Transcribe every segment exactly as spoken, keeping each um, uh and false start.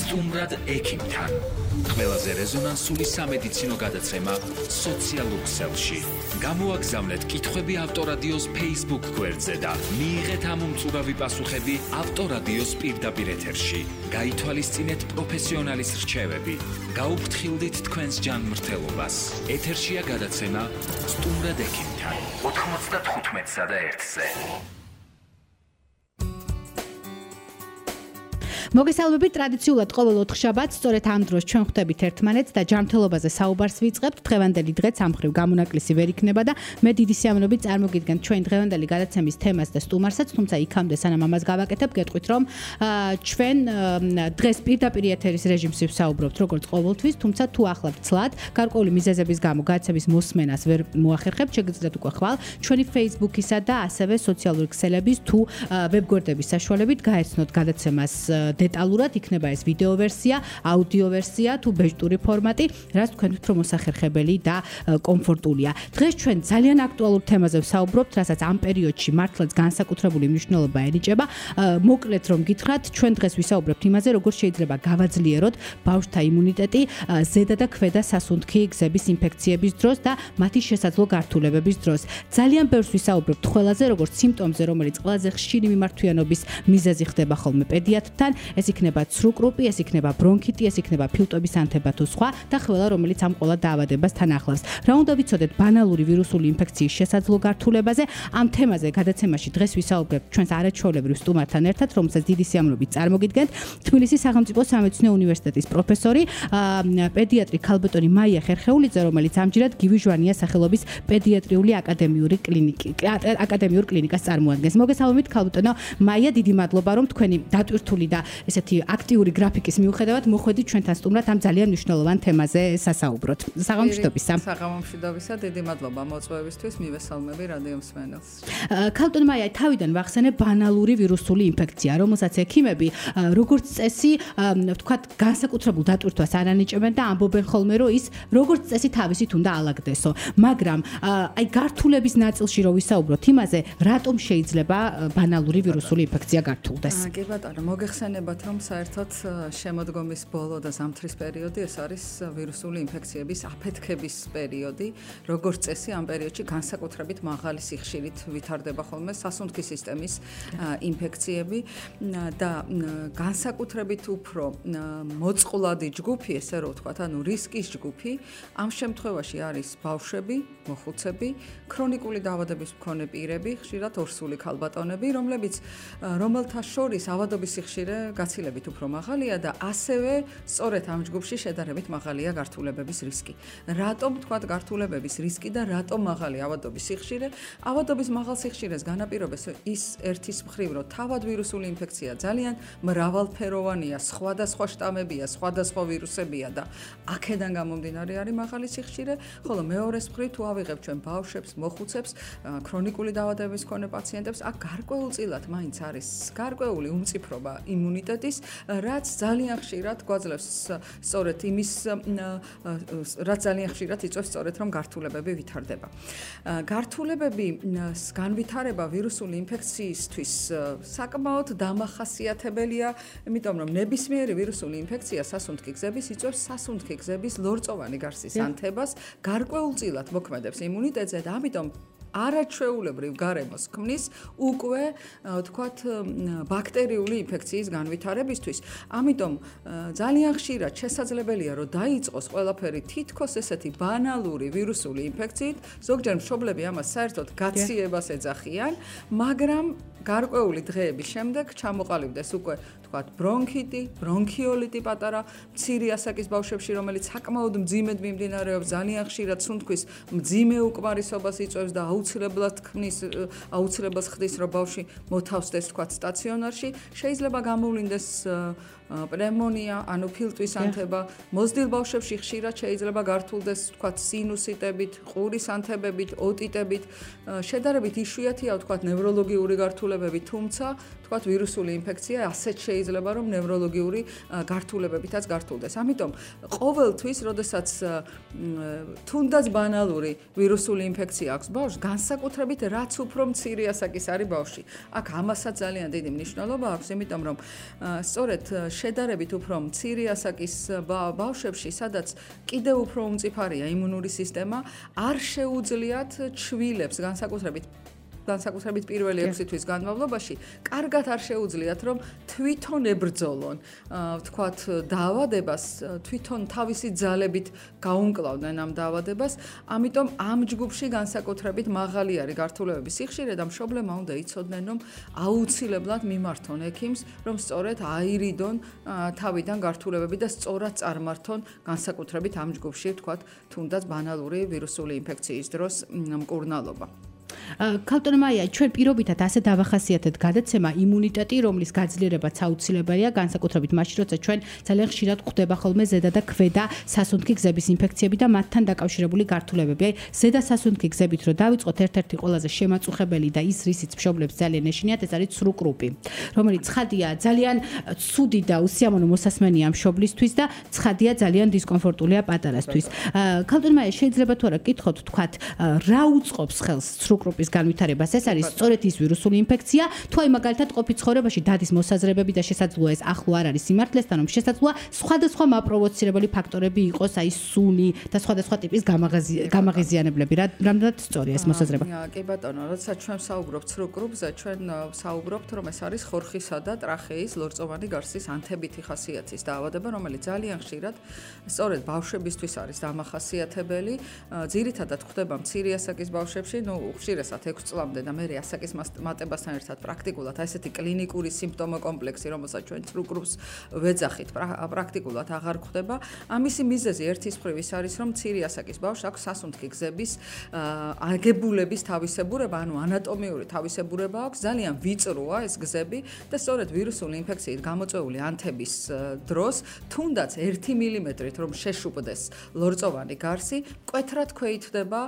სტუმრად ექიმთან. ყველაზე რეზონანსული სამედიცინო გადაცემა სოციალურ ქსელში. გამოაგზავნეთ კითხვები ავტორადიოს Facebook გვერდზე და მიიღეთ ამ უმწურავი პასუხები ავტორადიოს პირდაპირ ეთერში. გაითვალისწინეთ პროფესიონალის რჩევები. გაუფრთხილდით თქვენს ჯანმრთელობას. ეთერშია გადაცემა სტუმრად ექიმთან. ოთხმოცდათხუთმეტსა და ერთზე. მოგესალმებით ტრადიციულად ყოველ ოთხშაბათს სწორედ ამ დროს ჩვენ ხვდებით ერთმანეთს და ჯანმრთელობაზე საუბარს ვიწყებთ. დღევანდელი დღეც ამ მხრივ გამონაკლისი ვერ იქნება და მე დიდი სიამოვნებით წარმოგიდგენთ ჩვენ დღევანდელი გადაცემის თემას და სტუმარსაც, თუმცა იქამდე სანამ ამას გავაკეთებ, გეტყვით რომ ჩვენ დღეს პირდაპირ ეთერის რეჟიმს ვსაუბრობთ როგორც ყოველთვის, თუმცა თუ ახლა ვცლად, გარკვეული მიზეზების გამო გადაცემის მოსმენას ვერ მოახერხებთ, შეგიძლიათ უკვე ხვალ ჩვენი Facebook-ისა და ასევე სოციალური ქსელების თუ ვებგვერდების საშუალებით გაეცნოთ გადაცემას დეტალურად, იქნება ეს ვიდეო ვერსია, აუდიო ვერსია თუ ბეჭდური ფორმატი, რაც თქვენთვის უფრო მოსახერხებელი და კომფორტულია. დღეს ჩვენ ძალიან აქტუალურ თემაზე ვსაუბრობთ, რასაც ამ პერიოდში მართლაც განსაკუთრებული მნიშვნელობა ენიჭება. მოკლედ რომ გითხრათ, ჩვენ დღეს ვისაუბრებთ იმაზე, როგორ შეიძლება გავაძლიეროთ ბავშვთა იმუნიტეტი ზედა და ქვედა სასუნთქი გზების ინფექციების დროს და მათი შესაძლო გართულებების დროს. ძალიან ბევრს ვისაუბრებთ ყველაზე, როგორც სიმპტომზე, რომელიც ყველაზე ხშირი მიმართვიანობის მიზეზი ხდება ხოლმე პედიატრთან. ეს იქნება ცრუკრუპი, ეს იქნება ბრონქიტი, ეს იქნება ფილტვების ანთება თუ სხვა და ყველა რომელიც ამ ყველა დაავადებას თან ახლავს. რა უნდა ვიცოდეთ ბანალური ვირუსული ინფექციის შესაძლო გართულებაზე? ამ თემაზე გადაცემაში დღეს ვისაუბრებთ ჩვენს არაჩვეულებრივ სტუმართან ერთად, რომელსაც დიდი სიამოვნებით წარმოგიდგენთ. თბილისის სახელმწიფო სამედიცინო უნივერსიტეტის პროფესორი, პედიატრი ქალბატონი მაია ხერხეულიძე, რომელიც ამჯერად გივი ჟვანიას სახელობის პედიატრიული აკადემიური კლინიკი აკადემიურ კლინიკას წარმოადგენს. მოგესალმებით ქალბატონო მაია, დიდი მადლობა რომ თქვენი დატვირთული და ესეთი აქტიური გრაფიკის მიუხედავად მოხვედით ჩვენთან სტუმრად ამ ძალიან მნიშვნელოვან თემაზე სასაუბროთ. საღამომშვიდობისა. საღამომშვიდობისა, დიდი მადლობა მოწვევისთვის, მივესალმები რადიო მსმენელს. ქალბატონ მაია, თავიდან ვახსენებ ბანალური ვირუსული ინფექცია, რომელსაც ექიმები როგორც წესი, ვთქვათ, განსაკუთრებულ დატვირთვას არ ანიჭებენ და ამბობენ ხოლმე, რომ ის როგორც წესი თავისით უნდა ალაგდესო. მაგრამ აი გართულების ნაწილში რო ვისაუბროთ იმაზე, რატომ შეიძლება ბანალური ვირუსული ინფექცია გართულდეს? კი ბატონო, მოგეხსენებათ, რომ საერთოდ შემოდგომის ბოლო და ზამთრის პერიოდი ეს არის ვირუსული ინფექციების აფეთქების პერიოდი. როგორც წესი, ამ პერიოდში განსაკუთრებით მაღალი სიხშირით ვითარდება ხოლმე სასუნთქი სისტემის ინფექციები და განსაკუთრებით უფრო მოწყვლადი ჯგუფი, ესე რომ ვთქვათ, ანუ რისკის ჯგუფი, ამ შემთხვევაში არის ბავშვები, მოხუცები, ქრონიკული დაავადების მქონე პირები, ხშირად ორსული ქალბატონები, რომლებიც რომელთა შორის ავადობის სიხშირე გაცილებით უფრო მაღალია და ასევე სწორედ ამ ჯგუფში შედარებით მაღალია გართულებების რისკი. რატომ თქვათ გართულებების რისკი და რატომ მაღალი ავადობის სიხშირე? ავადობის მაღალ სიხშირეს განაპირობებს ის ერთის მხრივ, რომ თავად ვირუსული ინფექცია ძალიან მრავალფეროვანია, სხვადასხვა შტამებია, სხვადასხვა ვირუსებია და აქედან გამომდინარე არის მაღალი სიხშირე, ხოლო მეორეს მხრივ თუ ავიღებ ჩვენ ბავშვებს, მოხუცებს, ქრონიკული დაავადების მქონე პაციენტებს, აქ გარკვეულწილად მაინც არის გარკვეული უმწიფრობა იმუნიტეტის, რაც ძალიან ხშირად გვაძლევს სწორედ იმის, რაც ძალიან ხშირად იწვევს სწორედ რომ გართულებები ვითარდება. გართულებების განვითარება ვირუსული ინფექციისთვის საკმაოდ დამახასიათებელია, იმიტომ რომ ნებისმიერი ვირუსული ინფექცია სასუნთქი გზების იწვევს სასუნთქი გზების ლორწოვანი გარსის ანთებას, გარკვეულწილად მოქმედებს იმუნიტეტზე და ამიტომ არაჩვეულებრივ გარემოს ქმნის უკვე ვთქვათ ბაქტერიული ინფექციის განვითარებისთვის. ამიტომ ძალიან ხშირად შესაძლებელია რომ დაიწყოს ყველაფერი თითქოს ესეთი ბანალური ვირუსული ინფექციით, ზოგჯერ მშობლები ამას საერთოდ გაციებას ეძახიან, მაგრამ გარკვეული დღეების შემდეგ ჩამოყალიბდეს უკვე ვთქვათ ბრონქიტი, ბრონქიოლიტი პატარა მცირე ასაკის ბავშვებში, რომელიც საკმაოდ მძიმედ მიმდინარეობს, ძალიან ხშირად სუნთქვის მძიმე უკმარისობას იწვევს და აუცილებლად ქმნის აუცილებლად ხდის რომ ბავშვი მოთავსდეს თქვათ სტაციონარში, შეიძლება გამოვლინდეს პნევმონია, ანუ ფილტვის ანთება, მოზრდილ ბავშვებში ხშირად შეიძლება გართულდეს თქვათ სინუსიტებით, ყურის ანთებებით, ოტიტებით, შედარებით იშვიათია ვთქვათ ნევროლოგიური გართულება გართულებები, თუმცა თქვათ ვირუსული ინფექცია ასეთ შეიძლება რომ ნევროლოგიური გართულებებითაც გართულდეს. ამიტომ ყოველთვის, როდესაც თუნდაც ბანალური ვირუსული ინფექცია აქვს ბავშვს, განსაკუთრებით რაც უფრო მცირე ასაკის არის ბავშვი. აქ ამასაც ძალიან დიდი მნიშვნელობა აქვს, იმიტომ რომ სწორედ შედარებით უფრო მცირე ასაკის ბავშვებში, სადაც კიდევ უფრო უმწიფარია იმუნური სისტემა, არ შეუძლიათ ჩვილებს განსაკუთრებით განსაკუთრებით პირველი ექვსი თვის განმავლობაში, კარგად არ შეუძლიათ, რომ თვითონ ებრძოლონ, ვთქვათ, დაავადებას, თვითონ თავისი ძალებით გაუმკლავდნენ ამ დაავადებას, ამიტომ ამ ჯგუფში განსაკუთრებით მაღალი არის გართულებების სიხშირე და მშობლებმა უნდა იცოდნენ, რომ აუცილებლად მიმართონ ექიმს, რომ სწორედ აირიდონ თავიდან გართულებები და სწორად წარმართონ განსაკუთრებით ამ ჯგუფში, ვთქვათ, თუნდაც ბანალური ვირუსული ინფექციის დროს მკურნალობა. ქალბატონო მაია, ჩვენ პირობითად ასე დავახასიათეთ გადაცემა იმუნიტეტი, რომლის გაძლიერებაც აუცილებელია, განსაკუთრებით მაშინ, როცა ჩვენ ძალიან ხშირად გვხვდება ხოლმე ზედა და ქვედა სასუნთქი გზების ინფექციები და მათთან დაკავშირებული გართულებები. აი, ზედა სასუნთქი გზებით რო დავიწყოთ, ერთ-ერთი ყველაზე შემაწუხებელი და ის რისიც მშობლებს ძალიან ეშინიათ, ეს არის ცრუკრუპი, რომელიც ცხადია ძალიან ცუდი და უსიამოვნო მოსასმენია მშობლისთვის და ცხადია ძალიან დისკომფორტულია პატარასთვის. ქალბატონო მაია, შეიძლება თუ არა გკითხოთ, თქვათ, რა უწყობს ხელს ცრუკრუპის განვითარებას? ეს არის სწორედ ის ვირუსული ინფექცია, თუ აი მაგალითად ყოფით ცხოვრებაში დადის მოსაზრებები და შესაძლოა ეს ახლო არ არის სიმართლესთან, რომ შესაძლოა სხვადასხვა მაპროვოცირებელი ფაქტორები იყოს, აი სუნი და სხვადასხვა ტიპის გამაღიზიანებლები. რამდენად სწორია ეს მოსაზრება? კი ბატონო, როდესაც ჩვენ საუბრობთ ცრუკრუპზე, ჩვენ საუბრობთ, რომ ეს არის ხორხისა და ტრახეის ლორწოვანი გარსის ანთებითი ხასიათის დაავადება, რომელიც ძალიან ხშირად სწორედ ბავშვებისთვის არის დამახასიათებელი. ძირითადად ხდება მცირე ასაკის ბავშვებში, ნუ ხშირად ექვსი წლამდე და მე ასაკის მატებასთან ერთად პრაქტიკულად ესეთი კლინიკური სიმპტომო კომპლექსი, რომელსაც ჩვენ ცრუკრუპს ვეძახით, პრაქტიკულად აღარ ხდება. ამისი მიზეზი ერთის მხრივ ის არის, რომ მცირე ასაკის ბავშვს აქვს სასუნთქი გზების აგებულების თავისებურება, ანუ ანატომიური თავისებურება აქვს, ძალიან ვიწროა ეს გზები და სწორედ ვირუსული ინფექციით გამოწვეული ანთების დროს, თუნდაც ერთი მილიმეტრით რომ შეშუპდეს ლორწოვანი გარსი, მკვეთრად ქვეითდება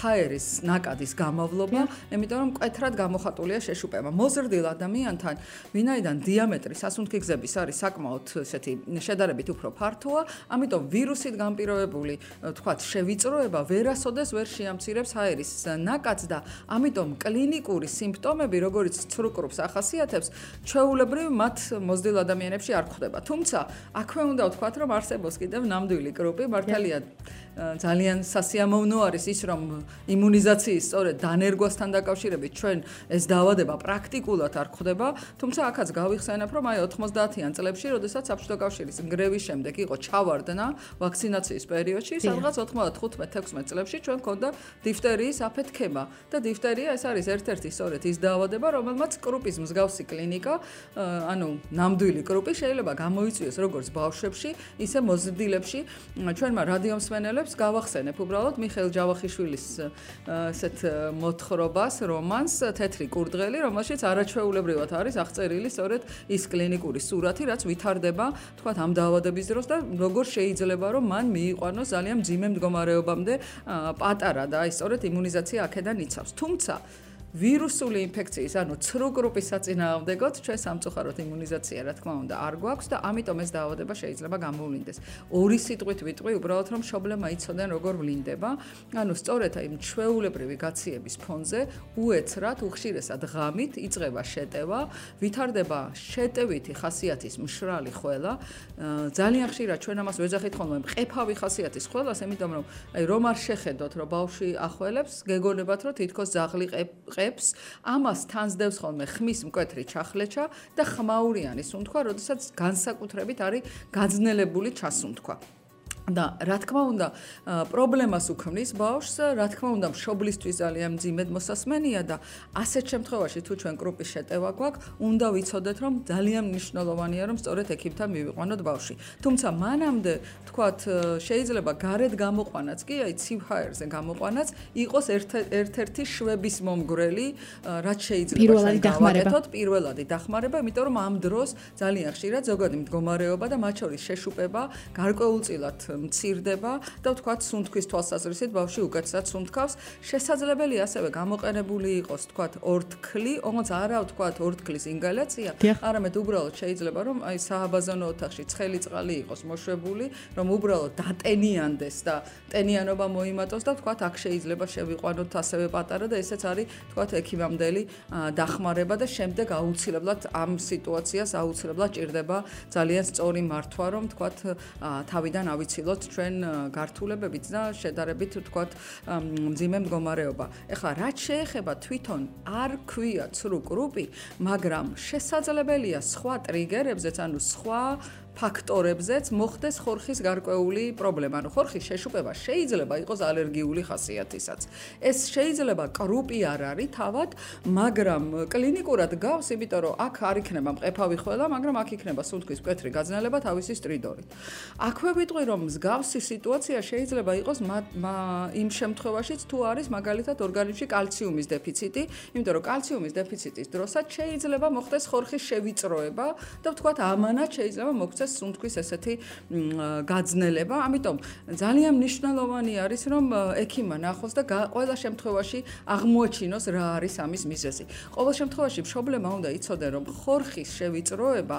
ჰაერის ნაკადის გამოვლობა, იმიტომ რომ მკვეთრად გამოხატულია შეშუპება. მოზრდილ ადამიანთან, ვინაიდან დიამეტრი სასუნთქი გზების არის საკმაოდ ესეთი შედარებით უფრო ფართოა, ამიტომ ვირუსით განპირობებული, თქვათ, შევიწროება ვერასოდეს ვერ შეამცირებს ჰაერის ნაკადს და ამიტომ კლინიკური სიმპტომები, როგორც ცრუკრუპს ახასიათებს, ჩვეულებრივ მათ მოზრდილ ადამიანებში არ გვხვდება. თუმცა, აქვე უნდა ვთქვათ, რომ არსებობს კიდევ ნამდვილი კრუპი, მართალია ძალიან სასიამოვნო არის ის, რომ იმუნიზაციის სწორედ დანერგვასთან დაკავშირებით ჩვენ ეს დაავადება პრაქტიკულად არ გვხვდება, თუმცა აქაც გავიხსენებ, რომ აი ოთხმოცდაათიან წლებში, როდესაც საბჭოთა კავშირის ნგრევის შემდეგ იყო ჩავარდნა ვაქცინაციის პერიოდში, სადღაც ოთხმოცდახუთ ათექვსმეტ წლებში ჩვენ გვქონდა დიფტერიის აფეთქება და დიფტერია ეს არის ერთ-ერთი სწორედ ის დაავადება, რომელმაც კრუპის მსგავსი კლინიკა, ანუ ნამდვილი კრუპი შეიძლება გამოიწვიოს როგორც ბავშვებში, ისე მოზრდილებში. ჩვენმა რადიომსმენელებს გავახსენებ უბრალოდ მიხეილ ჯავახიშვილის ესეთ მოთხრობას, რომანს თეთრი კურდღელი, რომელშიც არაჩვეულებრივად არის აღწერილი სწორედ ის კლინიკური სურათი, რაც ვითარდება, თქვათ, ამ დაავადების დროს და როგორ შეიძლება რომ მან მიიყვანოს ძალიან მძიმე მდგომარეობამდე პატარა და აი სწორედ იმუნიზაცია აქედან იცავს. თუმცა ვირუსული ინფექციის, ანუ ცრუკრუპის საწინააღმდეგოდ ჩვენ სამწუხაროდ იმუნიზაცია, რა თქმა უნდა, არ გვაქვს და ამიტომ ეს დაავადება შეიძლება გამოვლინდეს. ორი სიტყვით ვიტყვი, უბრალოდ რომ მშობლებმა იცოდნენ როგორ ვლინდება, ანუ სწორედ აი ჩვეულებრივი გაციების ფონზე უეცრად, უხშირესად ღამით იწყება შეტევა, ვითარდება შეტევითი ხასიათის მშრალი ხველა. ძალიან ხშირად ჩვენ ამას ვეძახით ხოლმე მყეფავი ხასიათის ხველას, იმიტომ რომ აი რომ არ შეხედოთ, რომ ბავშვი ახველებს, გეგონებათ, რომ თითქოს ძაღლი ყებს, ამას თანსდევს ხოლმე ხმის მკვეთრი ჩახლეჩა და ხმაურიანი სუნთქვა, როდესაც განსაკუთრებით არის გაძნელებული ჩასუნთქვა. და რა თქმა უნდა, პრობლემას უქმნის ბავშვს, რა თქმა უნდა, მშობლისთვის ძალიან მძიმედ მოსასმენია და ასეთ შემთხვევაში თუ ჩვენ კრუპის შეტევა გვაქვს, უნდა ვიცოდეთ, რომ ძალიან მნიშვნელოვანია, რომ სწორედ ექიმთან მივიყვანოთ ბავშვი. თუმცა მანამდე, თქვათ, შეიძლება გარეთ გამოყვანაც კი, აი ცივ ჰაერზე გამოყვანაც იყოს ერთ-ერთი შვების მომგვრელი, რაც შეიძლება ჩვენ გავაკეთოთ, პირველადი დახმარება, იმიტომ რომ ამ დროს ძალიან ხშირად ზოგადი მდგომარეობა და მათ შორის შეშუპება გარკვეულწილად მცირდება და ვთქვათ, სუნთქვის თვალსაზრისით ბავშვი უკეთესად სუნთქავს. შესაძლებელია ასევე გამოყენებული იყოს, ვთქვათ, ორთქლი, όμως არა ვთქვათ ორთქლის ინგალაცია, არამედ უბრალოდ შეიძლება რომ აი სააბაზანო ოთახში ცხელი წყალი იყოს მოშვებული, რომ უბრალოდ დატენიანდეს და ტენიანობა მოიმატოს და ვთქვათ, აქ შეიძლება შევიყვანოთ ასევე პატარა და ესეც არის ვთქვათ ექიმამდელი დახმარება და შემდეგ აუცილებლად ამ სიტუაციას აუცილებლად ჭირდება ძალიან სწორი მართვა, რომ ვთქვათ თავიდან ავიცილოთ ჩვენ გართულებებით და შედარებით ვთქვათ მძიმე მდგომარეობა. ეხლა რაც შეეხება თვითონ არ ქვია ცრუ კრუპი, მაგრამ შესაძლებელია სხვა ტრიგერებზეც, ანუ სხვა ფაქტორებზეც მოხდეს ხორხის გარკვეული პრობლემა. ანუ ხორხის შეშუპება შეიძლება იყოს ალერგიული ხასიათისაც. ეს შეიძლება კრუპი არ არის თავად, მაგრამ კლინიკურად გავს, იმიტომ რომ აქ არ იქნება მყეფავი ხველა, მაგრამ აქ იქნება სუნთქვის მკვეთრი გაძნელება თავისი სტრიდორით. აქვე ვიტყვი რომ მსგავსი სიტუაცია შეიძლება იყოს იმ შემთხვევაშიც თუ არის მაგალითად ორგანიზმში კალციუმის დეფიციტი, იმიტომ რომ კალციუმის დეფიციტის დროსაც შეიძლება მოხდეს ხორხის შევიწროება და ვთქვათ ამანაც შეიძლება მოხდეს სუნთქვის ესეთი გაძნელება, ამიტომ ძალიან მნიშვნელოვანი არის რომ ექიმმა ნახოს და ყველა შემთხვევაში აღმოაჩინოს რა არის ამის მიზეზი. ყოველ შემთხვევაში პრობლემა უნდა იცოდე რომ ხორხის შევიწროება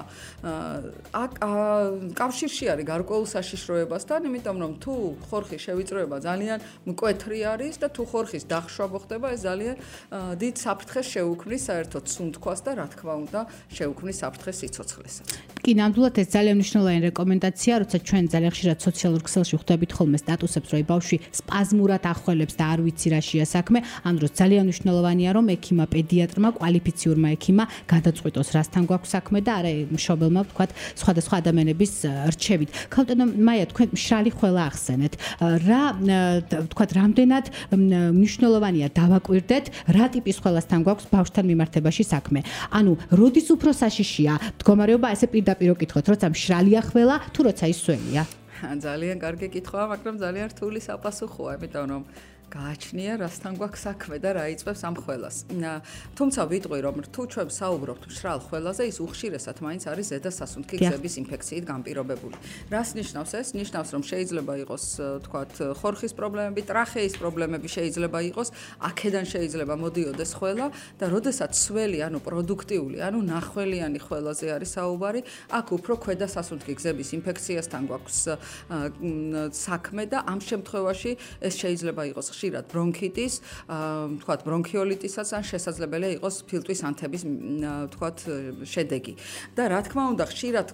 კავშირში არის გარკვეულ საშიშროებასთან, იმიტომ რომ თუ ხორხის შევიწროება ძალიან მკვეთრი არის და თუ ხორხის დახშვა მოხდება, ეს ძალიან დიდ საფრთხეს შეუქმნის საერთოდ სუნთქვას და რა თქმა უნდა შეუქმნის საფრთხეს სიცოცხლესაც. კი, ნამდვილად ეს ძალიან მნიშვნელოვანი რეკომენდაცია, როცა ჩვენ ძალიან ხშირად სოციალურ ქსელში ხვდებით ხოლმე სტატუსებს, რომ ბავშვი სპაზმურად ახველებს და არ ვიცი რა შეა საქმე, ამ დროს ძალიან მნიშვნელოვანია, რომ ექიმა, პედიატრმა, კვალიფიციურმა ექიმა გადაწყვიტოს, რასთან გვაქვს საქმე და არა მშობელმა ვთქვათ სხვადასხვა ადამიანების რჩევით. ქალბატონო მაია, თქვენ მშრალი ხველა ახსენეთ. რა ვთქვათ, რამდენად მნიშვნელოვანია დავაკვირდეთ, რა ტიპის ხველასთან გვაქვს ბავშვთან მიმართებაში საქმე. ანუ როდის უფრო საშიშია მდგომარეობა, ესე პირდაპირ ვკითხოთ, როცა მშრალია ხველა, თუ როცა ის სველია? ძალიან კარგი კითხვაა, მაგრამ ძალიან რთული საპასუხოა, იმიტომ რომ გააჩნია რასთან გვაქვს საქმე და რა იწვევს ამ ხველას. თუმცა ვიტყვი რომ თუ ჩვენ საუბრობთ მშრალ ხველაზე, ის უხშირესად მაინც არის ზედა სასუნთქი გზების ინფექციით განპირობებული. რას ნიშნავს ეს? ნიშნავს რომ შეიძლება იყოს თქვათ ხორხის პრობლემები, ტრახეის პრობლემები შეიძლება იყოს, აქედან შეიძლება მოდიოდეს ხველა და როდესაც სველი, ანუ პროდუქტიული, ანუ ნახველიანი ხველაზე არის საუბარი, აქ უფრო ქვედა სასუნთქი გზების ინფექციასთან გვაქვს საქმე და ამ შემთხვევაში ეს შეიძლება იყოს ხშირად ბრონქიტის, თქვათ ბრონქიოლიტისაც ან შესაძლებელია იყოს ფილტვის ანთების, თქვათ შედეგი. და რა თქმა უნდა, ხშირად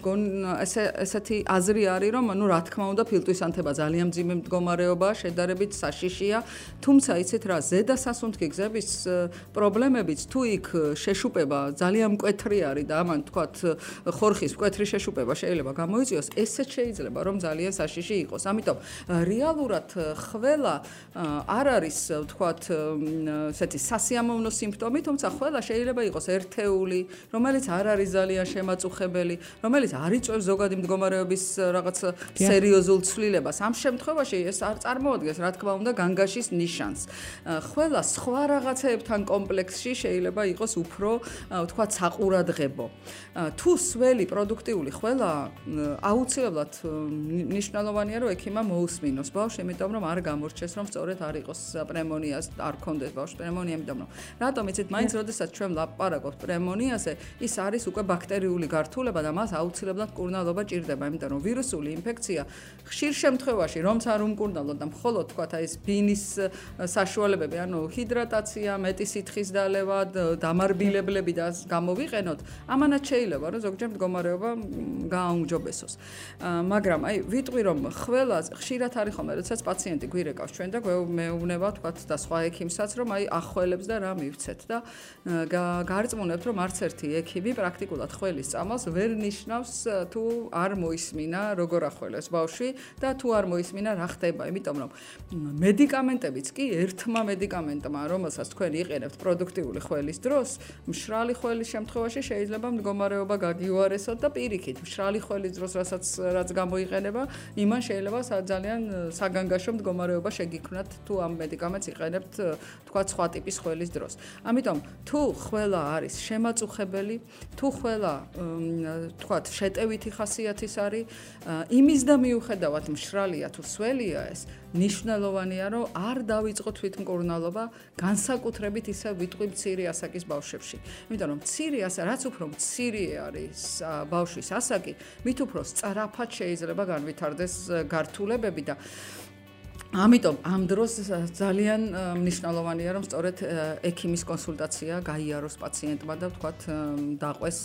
ესე ესეთი აზრი არის, რომ ანუ რა თქმა უნდა ფილტვის ანთება ძალიან მძიმე მდგომარეობაა, შედარებით საშიშია, თუმცა იცით რა, ზედა სასუნთქი გზების პრობლემებიც თუ იქ შეშუპება ძალიან მკვეთრი არის და ამან თქვათ ხორხის მკვეთრი შეშუპება შეიძლება გამოიწვიოს, ესეც შეიძლება რომ ძალიან საშიში იყოს. ამიტომ რეალურად ხველა არ არის ვთქვათ ესეთი სასიამოვნო სიმპტომი, თუმცა ხველა შეიძლება იყოს ერთეული, რომელიც არ არის ძალიან შემაწუხებელი, რომელიც არ იწვევს ზოგადი მდგომარეობის რაღაც სერიოზულ ცვლილებას. ამ შემთხვევაში ეს არ წარმოადგენს, რა თქმა უნდა, განგაშის ნიშანს. ხველა სხვა რაღაცეებთან კომპლექსში შეიძლება იყოს უფრო ვთქვათ საყურადღებო. თუ სველი პროდუქტიული ხველა, აუცილებლად მნიშვნელოვანია, რომ ექიმმა მოусმინოს ბავშვს, იმიტომ რომ არ გამორჩეს, რომ სწორედ არ იყოს პრემონიას, არ ქონდეს ბავშვს პრემონია, იმიტომ რომ რატომ იცით, მაინც როდესაც ჩვენ ლაპარაკობთ პრემონიაზე, ის არის უკვე ბაქტერიული გართულება და მას აუცილებლად მკურნალობა ჭირდება, იმიტომ რომ ვირუსული ინფექცია ხშირ შემთხვევაში, რომც არ უმკურნალოთ და მხოლოდ თქვათ აი ეს ბინის საშუალებები, ანუ ჰიდრატაცია, მეტი სითხის დალევა, დამარბილებლები და გამოვიყენოთ, ამანაც შეიძლება, რომ ზოგჯერ მდგომარეობა გააუმჯობესოს. მაგრამ აი ვიტყვი რომ ხველა ხშირად არის ხოლმე, როდესაც პაციენტი გვირეკავს ჩვენ და მეუბნება თქვათ და სხვა ექიმსაც, რომ აი ახველებს და რა მივცეთ და გარწმუნებთ, რომ არც ერთი ექიმი პრაქტიკულად ხველის წამალს ვერ ნიშნავს თუ არ მოისმინა როგორ ახველებს ბავშვი და თუ არ მოისმინა რა ხდება, იმიტომ რომ მედიკამენტებიც კი ერთმა მედიკამენტმა, რომელსაც თქვენ იყენებთ პროდუქტიული ხველის დროს, მშრალი ხველის შემთხვევაში შეიძლება მდგომარეობა გაგიუარესოთ და პირიქით, მშრალი ხველის დროს რაც გამოიყენება, იმან შეიძლება ძალიან საგანგაშო მდგომარეობა შეგიქმნათ თუ ამ მედიკამენტს იყენებთ თქვა სხვა ტიპის ხველის დროს. ამიტომ თუ ხველა არის შემაწუხებელი, თუ ხველა თქვა შეტევითი ხასიათის არის, იმის და მიუხედავად მშრალია თუ სველია ეს, ნიშნულოვანია რომ არ დავიწყო თვითმკურნალობა, განსაკუთრებით ისე ვიტყვი მცირე ასაკის ბავშვებში. იმიტომ რომ მცირე ასაკი, რაც უფრო მცირე არის ბავშვის ასაკი, მით უფრო სწრაფად შეიძლება განვითარდეს გართულებები და ამიტომ ამ დროს ძალიან მნიშვნელოვანია რომ სწორედ ექიმის კონსულტაცია გაიაროს პაციენტმა და ვთქვათ დაყვეს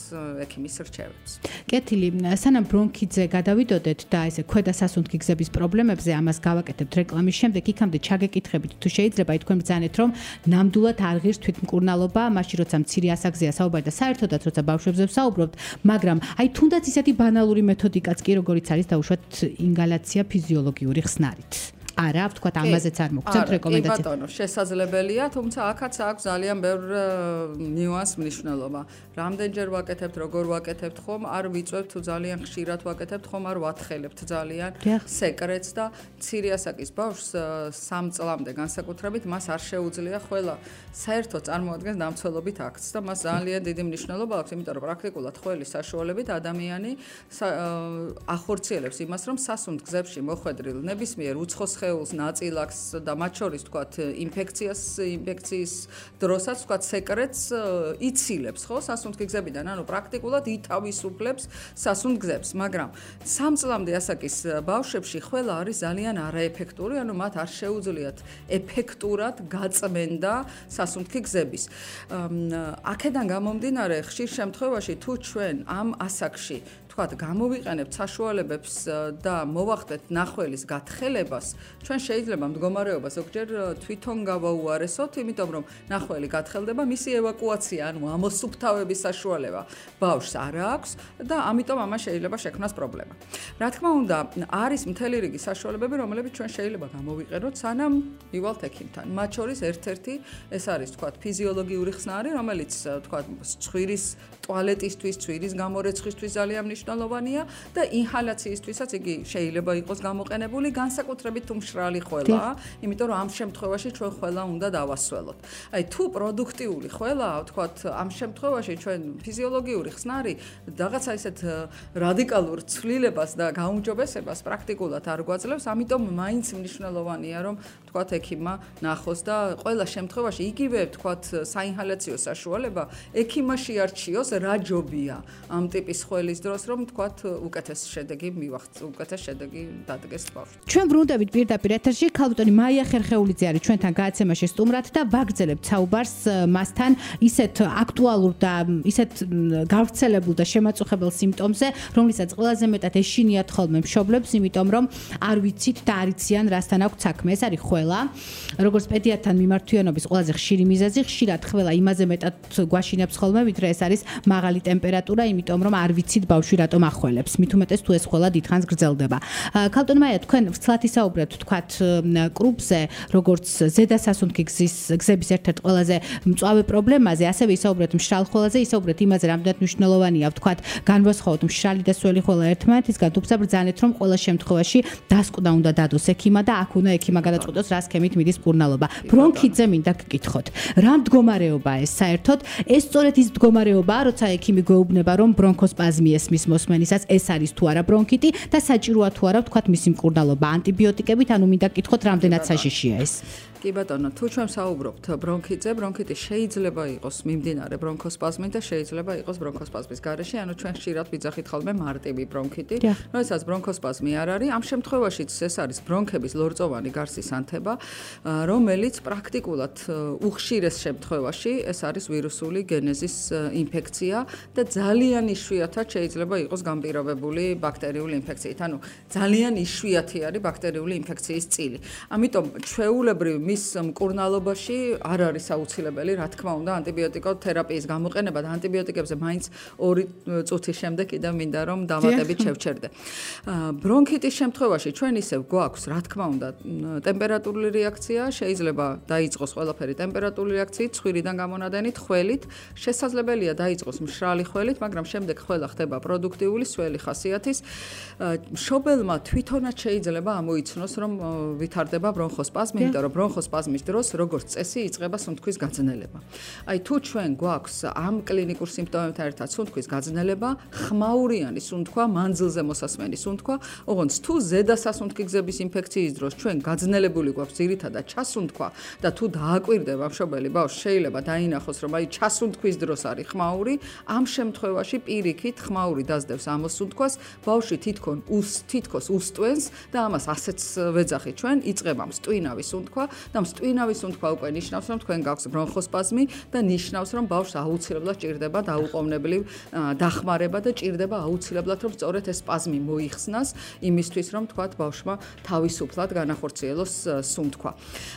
ექიმის რჩევებს. კეთილი, სანამ ბრონქიტზე გადავიდოდეთ და ესე ქვედა სასუნთქი გზების პრობლემებზე ამას გავაკეთებთ რეკლამის შემდეგ, იქამდე ჩაგეკითხებით თუ შეიძლება თქვენ ბრძანეთ რომ ნამდვილად არ ღირს თვითმკურნალობა, მაშინ როცა მცირე ასაკზეა საუბარი და საერთოდაც როცა ბავშვებზე ვსაუბრობთ, მაგრამ აი თუნდაც ისეთი ბანალური მეთოდიკაც კი როგორიც არის დაუშვათ ინგალაცია ფიზიოლოგიური ხსნარით. არა, ვთქვათ, ამაზეც არ მოგცემთ რეკომენდაციას. კი ბატონო, შესაძლებელია, თუმცა აქაც აქვს ძალიან ბევრ ნიუანს მნიშვნელობა. რამდენჯერ ვაკეთებთ, როგორ ვაკეთებთ ხომ, არ ვიწევთ თუ ძალიან ხშირად ვაკეთებთ ხომ, არ ვათხელებთ ძალიან სეკრეტს და მცირე ასაკის ბავშვს სამ წლამდე განსაკუთრებით მას არ შეუძლია ხველა საერთოდ წარმოადგენს დამცველობით აქტს და მას ძალიან დიდი მნიშვნელობა აქვს, იმიტომ რომ პრაქტიკულად ხველის საშუალებით ადამიანი ახორციელებს იმას, რომ სასუნთქ-გზებში მოხვედრილ ნებისმიერ უცხოს ხეულს ნაწილაკს და მათ შორის თქვათ ინფექციას ინფექციის დროსაც თქვათ სეკრეტს იცილებს ხო სასუნთქი-გზებიდან ანუ პრაქტიკულად ითავისუფლებს სასუნთქ-გზებს მაგრამ სამ წლამდე ასაკის ბავშვებში ხველა არის ძალიან არაეფექტური ანუ მათ არ შეუძლიათ ეფექტურად გაწმენდა სასუნთქი-გზების აქედან გამომდინარე ხშირ შემთხვევაში თუ ჩვენ ამ ასაკში თქვათ გამოვიყენებთ საშუალებებს და მოვახდეთ ნახველის გათხელებას ჩვენ შეიძლება მდგომარეობა ზოგჯერ თვითონ გავაუარესოთ იმიტომ რომ ნახველი გათხელდება მისი ევაკუაცია ანუ ამოსუფთავების საშუალება ბავშვს არ აქვს და ამიტომ ამას შეიძლება შექმნას პრობლემა რა თქმა უნდა არის მთელი რიგი საშუალებები რომლებიც ჩვენ შეიძლება გამოვიყენოთ სანამ მივალთ ექიმთან მათ შორის ერთ-ერთი ეს არის თქვათ ფიზიოლოგიური ხსნარი რომელიც თქვათ ცხვირის ტუალეტისთვის ცხვირის გამორეცხისთვის ძალიან მნიშვნელოვანია და ინჰალაციისთვისაც იგი შეიძლება იყოს გამოყენებული განსაკუთრებით თუ მშრალი ხველაა, იმიტომ რომ ამ შემთხვევაში ჩვენ ხველა უნდა დავასველოთ. აი თუ პროდუქტიული ხველაა, ვთქვათ, ამ შემთხვევაში ჩვენ ფიზიოლოგიური ხსნარი რაღაცა ისეთ რადიკალურ ცვლილებას და გაუმჯობესებას პრაქტიკულად არ გვაძლევს, ამიტომ მაინც მნიშვნელოვანია რომ ვთქვათ ექიმმა ნახოს და ყველა შემთხვევაში იგივე ვთქვათ საინჰალაციო საშუალება ექიმმა შეარჩიოს რა ჯობია ამ ტიპის ხველის დროს რომ ვთქვათ უკეთეს შედეგი მივახცეთ, უკეთეს შედეგი დადგეს ბავშვს. ჩვენ ბრუნდებით პირდაპირ ეთერში ქალბატონი მაია ხერხეულიძე არის ჩვენთან გააცემაში სტუმრად და ვაგრძელებთ საუბარს მასთან ისეთ აქტუალურ და ისეთ გავრცელებულ და შემაწუხებელ სიმპტომზე, რომლითაც ყველაზე მეტად ეშინიათ ხოლმე მშობლებს, იმიტომ რომ არ ვიცით და არ იციან რასთან აქვს საქმე. ეს არის ხველა. როგორც პედიატრთან მიმართვიანობის ყველაზე ხშირი მიზეზი, ხშირად ხველა იმაზე მეტად გვაშინებს ხოლმე, ვიდრე ეს არის მაღალი ტემპერატურა, იმიტომ რომ არ ვიცით ბავშვი რატომ ახველებს. მით უმეტეს თუ ეს ხველა დიდხანს გრძელდება. ქალბატონი მაია, თქვენ ვრცლად ისაუბრეთ თქვათ კრუპზე, როგორც ზედა სასუნთქი გზის გზების ერთ-ერთ ყველაზე მწვავე პრობლემაზე, ასევე ისაუბრეთ მშრალ ხველაზე, ისაუბრეთ იმაზე, რამდენად მნიშვნელოვანია თქვათ განვასხვაოთ მშრალი და სველი ხველა ერთმანეთისგან, თუმცა ბრძანეთ რომ ყველა შემთხვევაში დასკვნა უნდა დადოს ექიმა და აქ უნდა ექიმა გადაწყვიტოს რა სქემით მიდის მკურნალობა. ბრონქიტზე მინდა გკითხოთ. რა მდგომარეობაა ეს საერთოდ? ეს სწორედ ის მდგომარეობაა, როცა ექიმი გვეუბნება რომ ბრონქოსპაზმი ესმის მოსმენისას ეს არის თუ არა ბრონქიტი და საჭიროა თუ არა თქვათ მისი მკურნალობა ანტიბიოტიკებით, ანუ მინდა გკითხოთ რამდენად საშიშია ეს. კი ბატონო, თუ ჩვენ საუბრობთ ბრონქიტზე, ბრონქიტი შეიძლება იყოს მიმდინარე ბრონქოსპაზმით და შეიძლება იყოს ბრონქოსპაზმის გარეშე, ანუ ჩვენ ხშირად ვიძახით ხოლმე მარტივი ბრონქიტი, როდესაც ბრონქოსპაზმი არ არის, ამ შემთხვევაშიც ეს არის ბრონქების ლორწოვანი გარსის ანთება, რომელიც პრაქტიკულად უხშირეს შემთხვევაში ეს არის ვირუსული გენეზის ინფექცია და ძალიან იშვიათად შეიძლება იყოს განპირობებული ბაქტერიული ინფექციით, ანუ ძალიან იშვიათი არის ბაქტერიული ინფექციის წილი. ამიტომ ჩვეულებრივ მის მკურნალობაში არ არის აუცილებელი, რა თქმა უნდა, ანტიბიოტიკოთერაპიის გამოყენება და ანტიბიოტიკებზე მაინც ორი წუთის შემდეგ კიდევ მინდა რომ დამატებით შევჩერდე. ბრონქიტის შემთხვევაში ჩვენ ისევ გვაქვს, რა თქმა უნდა, ტემპერატურული რეაქცია, შეიძლება დაიწყოს ყველაფერი ტემპერატურული რეაქციით, ცხვირიდან გამონადენით, ხველით, შესაძლებელია დაიწყოს მშრალი ხველით, მაგრამ შემდეგ ხველა ხდება პროდუქტიული, სველი ხასიათის. მშობელმა თვითონაც შეიძლება ამოიცნოს, რომ ვითარდება ბრონქოსპაზმი, იმიტომ რომ ბრონხოსპაზმის დროს როგორც წესი იწყება სუნთქვის გაძნელება. აი თუ ჩვენ გვაქვს ამ კლინიკურ სიმპტომებთან ერთად სუნთქვის გაძნელება, ხმაურიანი სუნთქვა, მანძილზე მოსასმენი სუნთქვა, ოღონდ თუ ზედასასუნთქი გზების ინფექციის დროს ჩვენ გაძნელებული გვაქვს ძირითადად ჩასუნთქვა და თუ დააკვირდება მშობელი ბავშვს შეიძლება დაინახოს რომ აი ჩასუნთქვის დროს არის ხმაური, ამ შემთხვევაში პირიქით ხმაური დაძდევს ამოსუნთქვას, ბავშვი თითქონ უს თითქოს უსტვენს და ამას ასეც ვეძახით ჩვენ, იწყება მსტვინავი სუნთქვა და მსტვინავი სუნთქვა უკვე ნიშნავს რომ თქვენ გაქვს ბრონხოსპაზმი და ნიშნავს რომ ბავშვს აუცილებლად ჭირდება დაუყოვნებლივ დახმარება და ჭირდება აუცილებლად რომ სწორედ ეს სპაზმი მოიხსნას იმისთვის რომ თქვათ ბავშვმა თავისუფლად განახორციელოს სუნთქვა.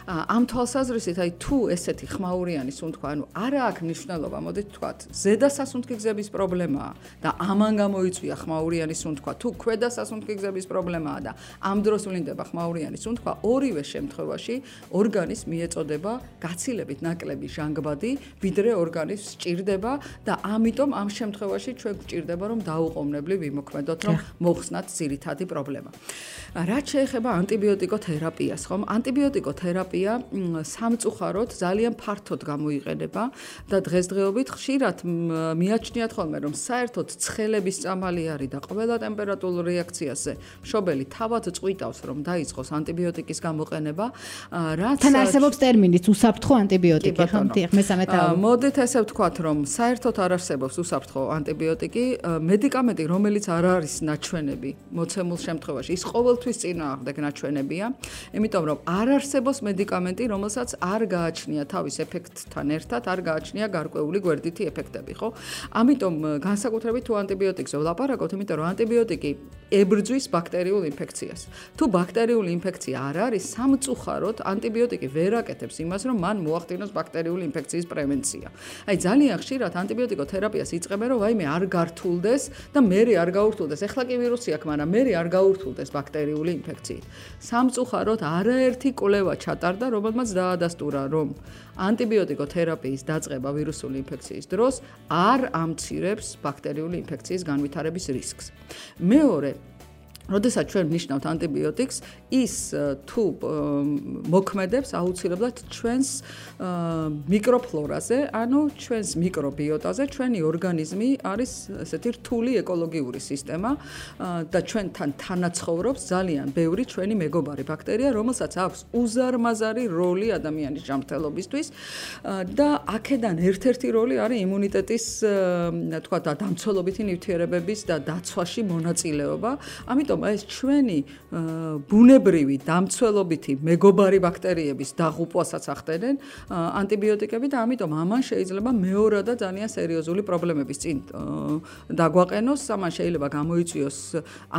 ამ თვალსაზრისით აი თუ ესეთი ხმაურიანი სუნთქვა, ანუ არა აქვს მნიშვნელობა, მოდით თქვათ, ზედასასუნთქი გზების პრობლემაა და ამან გამოიწვია ხმაურიანი სუნთქვა, თუ ქვედასასუნთქი გზების პრობლემაა და ამ დროს ვლინდება ხმაურიანი სუნთქვა, ორივე შემთხვევაში ორგანიზმს მიეწოდება გაცილებით ნაკლები ჟანგბადი, ვიდრე ორგანიზმს სჭირდება და ამიტომ ამ შემთხვევაში ჩვენ გვჭირდება რომ დაუყოვნებლივ ვიმოქმედოთ, რომ მოხსნათ ძირითადი პრობლემა. რაც შეეხება ანტიბიოტიკოთერაპიას, ხომ? ანტიბიოტიკოთერაპია სამწუხაროდ ძალიან ფართოდ გამოიყენება და დღესდღეობით ხშირად მიაჩნიათ ხოლმე რომ საერთოდ ცხელების წამალი არის და ყველა ტემპერატურულ რეაქციაზე მშობელი თავად წვიტავს რომ დაიწყოს ანტიბიოტიკის გამოყენება, რაც თან არსებობს ტერმინიც უსაფრთხო ანტიბიოტიკი, ხომ? მესამე თაობა. მოდით ესე ვთქვათ რომ საერთოდ არ არსებობს უსაფრთხო ანტიბიოტიკი, მედიკამენტი რომელიც არ არის ნაჩვენები მოცემულ შემთხვევაში ის ყოველთვის წინააღმდეგ ნაჩვენებია, იმიტომ რომ არ არსებობს მედიკამენტი რომელსაც არ გააჩნია თავის ეფექტთან ერთად, არ გააჩნია გარკვეული გვერდითი ეფექტები, ხო? ამიტომ განსაკუთრებით თუ ანტიბიოტიკზე ვლაპარაკობთ, იმიტომ რომ ანტიბიოტიკი ებრძვის ბაქტერიულ ინფექციას. თუ ბაქტერიული ინფექცია არ არის, სამწუხაროდ ანტიბიოტიკი ვერ აკეთებს იმას, რომ მან მოახდინოს ბაქტერიული ინფექციის პრევენცია. აი ძალიან ხშირად ანტიბიოტიკოთერაპიას იწყებენ, რომ ვაიმე არ გართულდეს და მერე არ გაურთულდეს. ეხლა კი ვირუსი აქვს, მაგრამ მერე არ გაურთულდეს ბაქტერიული ინფექციით. სამწუხაროდ არაერთი კვლევა ჩატარდა, რომელმაც დაადასტურა, რომ ანტიბიოტიკოთერაპიის დაწყება ვირუსული ინფექციის დროს არ ამცირებს ბაქტერიული ინფექციის განვითარების რისკს. მეორე, როდესაც ჩვენ ვნიშნავთ ანტიბიოტიკს, ის თუ მოქმედებს აუცილებლად ჩვენს მიკროფლორაზე, ანუ ჩვენს მიკრობიოტაზე, ჩვენი ორგანიზმი არის ესეთი რთული ეკოლოგიური სისტემა და ჩვენთან თანაცხოვრობს ძალიან ბევრი ჩვენი მეგობარი ბაქტერია, რომელსაც აქვს უზარმაზარი როლი ადამიანის ჯანმრთელობისთვის და აქედან ერთ-ერთი როლი არის იმუნიტეტის, თქვა და დამცველობითი ნივთიერებების და დაცვაში მონაწილეობა. ამიტომ ეს ჩვენი ბუნებრივი დამცველობითი მეგობარი ბაქტერიების დაღუპვასაც ახდენენ ანტიბიოტიკები და ამიტომ ამან შეიძლება მეორადა ძალიან სერიოზული პრობლემების წინ დაგვაყენოს, ამან შეიძლება გამოიწვიოს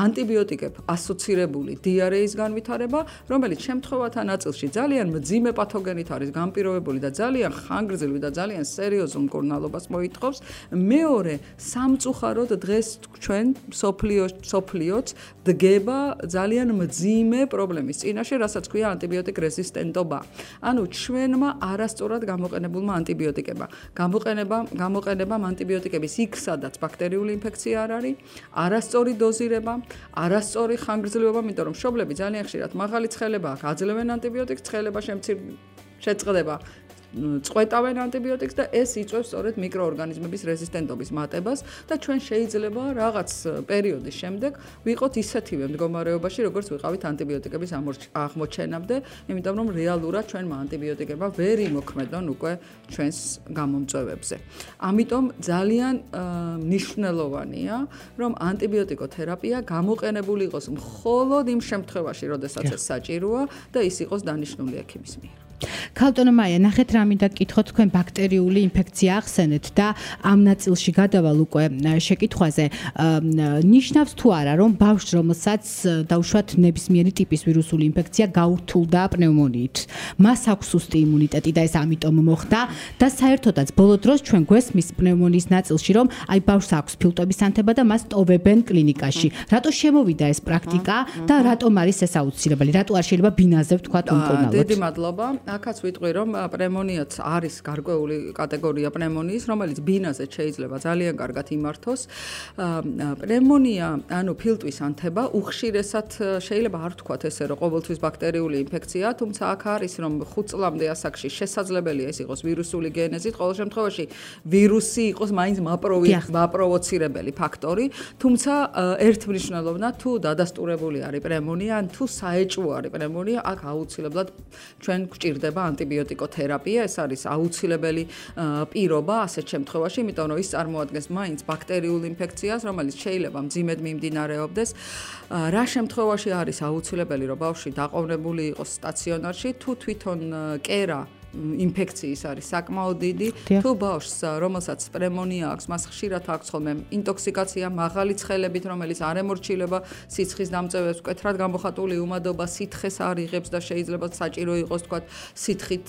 ანტიბიოტიკებ ასოცირებული დიარეის განვითარება, რომელიც შემთხვევათა ნაწილში ძალიან მძიმე პათოგენით არის განპირობებული და ძალიან ხანგრძლივი და ძალიან სერიოზულ მკურნალობას მოითხოვს. მეორე, სამწუხაროდ დღეს ჩვენ სოფლიოც დგება ძალიან მძიმე პრობლემის წინაშე, რასაც ქვია ანტიბიოტიკ რეზისტენტობა. ანუ ჩვენმა არასწორად გამოყენებულმა ანტიბიოტიკებმა. გამოყენება გამოყენებამ ანტიბიოტიკების იქ, სადაც ბაქტერიული ინფექცია არ არის, არასწორი დოზირება, არასწორი ხანგრძლივობა, იმიტომ რომ მშობლები ძალიან ხშირად მაღალი ცხელება აქვს, აძლევენ ანტიბიოტიკს, ცხელება შეწყდება. წყვეტავენ ანტიბიოტიკს და ეს იწვევს სწორედ მიკროორგანიზმების რეზისტენტობის მატებას და ჩვენ შეიძლება რაღაც პერიოდის შემდეგ ვიყოთ ისეთივე მდგომარეობაში, როგორც ვიყავით ანტიბიოტიკების აღმოჩენამდე, იმიტომ რომ რეალურად ჩვენმა ანტიბიოტიკებმა ვერ იმოქმედონ უკვე ჩვენს გამომწვევებზე. ამიტომ ძალიან მნიშვნელოვანია, რომ ანტიბიოტიკოთერაპია გამოყენებული იყოს მხოლოდ იმ შემთხვევაში, როდესაც ეს საჭიროა და ის იყოს დანიშნული ექიმის მიერ. ქალბატონო მაია, ნახეთ რა მინდა გკითხოთ, თქვენ ბაქტერიული ინფექცია ახსენეთ და ამ ნაწილში გადავალ უკვე შეკითხვაზე. ნიშნავს თუ არა, რომ ბავშვს, რომელსაც დაუშვათ ნებისმიერი ტიპის ვირუსული ინფექცია გაურთულდა პნევმონიით, მას აქვს სუსტი იმუნიტეტი და ეს ამიტომ მოხდა და საერთოდაც ბოლო დროს ჩვენ გვესმის პნევმონიის ნაწილში, რომ აი ბავშვს აქვს ფილტვების ანთება და მას ტოვებენ კლინიკაში. რატო შემოვიდა ეს პრაქტიკა და რატომ არის ეს აუცილებელი? რატო არ შეიძლება ბინაზე ვთქვათ უმკურნალოდ? დიდი მადლობა. აქაც ვიტყვი, რომ პნემონიაც არის გარკვეული კატეგორია პნემონიის, რომელიც ბინაზე შეიძლება ძალიან კარგად იმართოს. პნემონია, ანუ ფილტვის ანთება, უხშირესად შეიძლება არ ვთქვათ ესე, რომ ყოველთვის ბაქტერიული ინფექციაა, თუმცა აქ არის, რომ ხუთ წლამდე ასაკში შესაძლებელია ეს იყოს ვირუსული გენეზით, ყოველ შემთხვევაში ვირუსი იყოს მაინც მაპროვოცირებელი ფაქტორი, თუმცა ერთმნიშვნელოვნად თუ დადასტურებული არის პნემონია, ან თუ საეჭვო არის პნემონია, აქ აუცილებლად ჩვენ გვჭირდება ანტიბიოტიკოთერაპია, ეს არის აუცილებელი პირობა ასეთ შემთხვევაში, იმიტომ რომ ის წარმოადგენს მაინც ბაქტერიულ ინფექციას, რომელიც შეიძლება მძიმედ მიმდინარეობდეს. რა შემთხვევაში არის აუცილებელი, რომ ბავშვი დაყოვნებული იყოს სტაციონარში, თუ თვითონ კერა ინფექციის არის საკმაოდ დიდი, თუ ბავშვს, რომელსაც პნემონია აქვს, მას ხშირად აქვს ხოლმე ინტოქსიკაცია მაღალი ცხელებით, რომელიც არ ემორჩილება სიცხის დამწევებს, მკვეთრად გამოხატული უმადობა, სითხეს არ იღებს და შეიძლება საჭირო იყოს, თქვათ, სითხით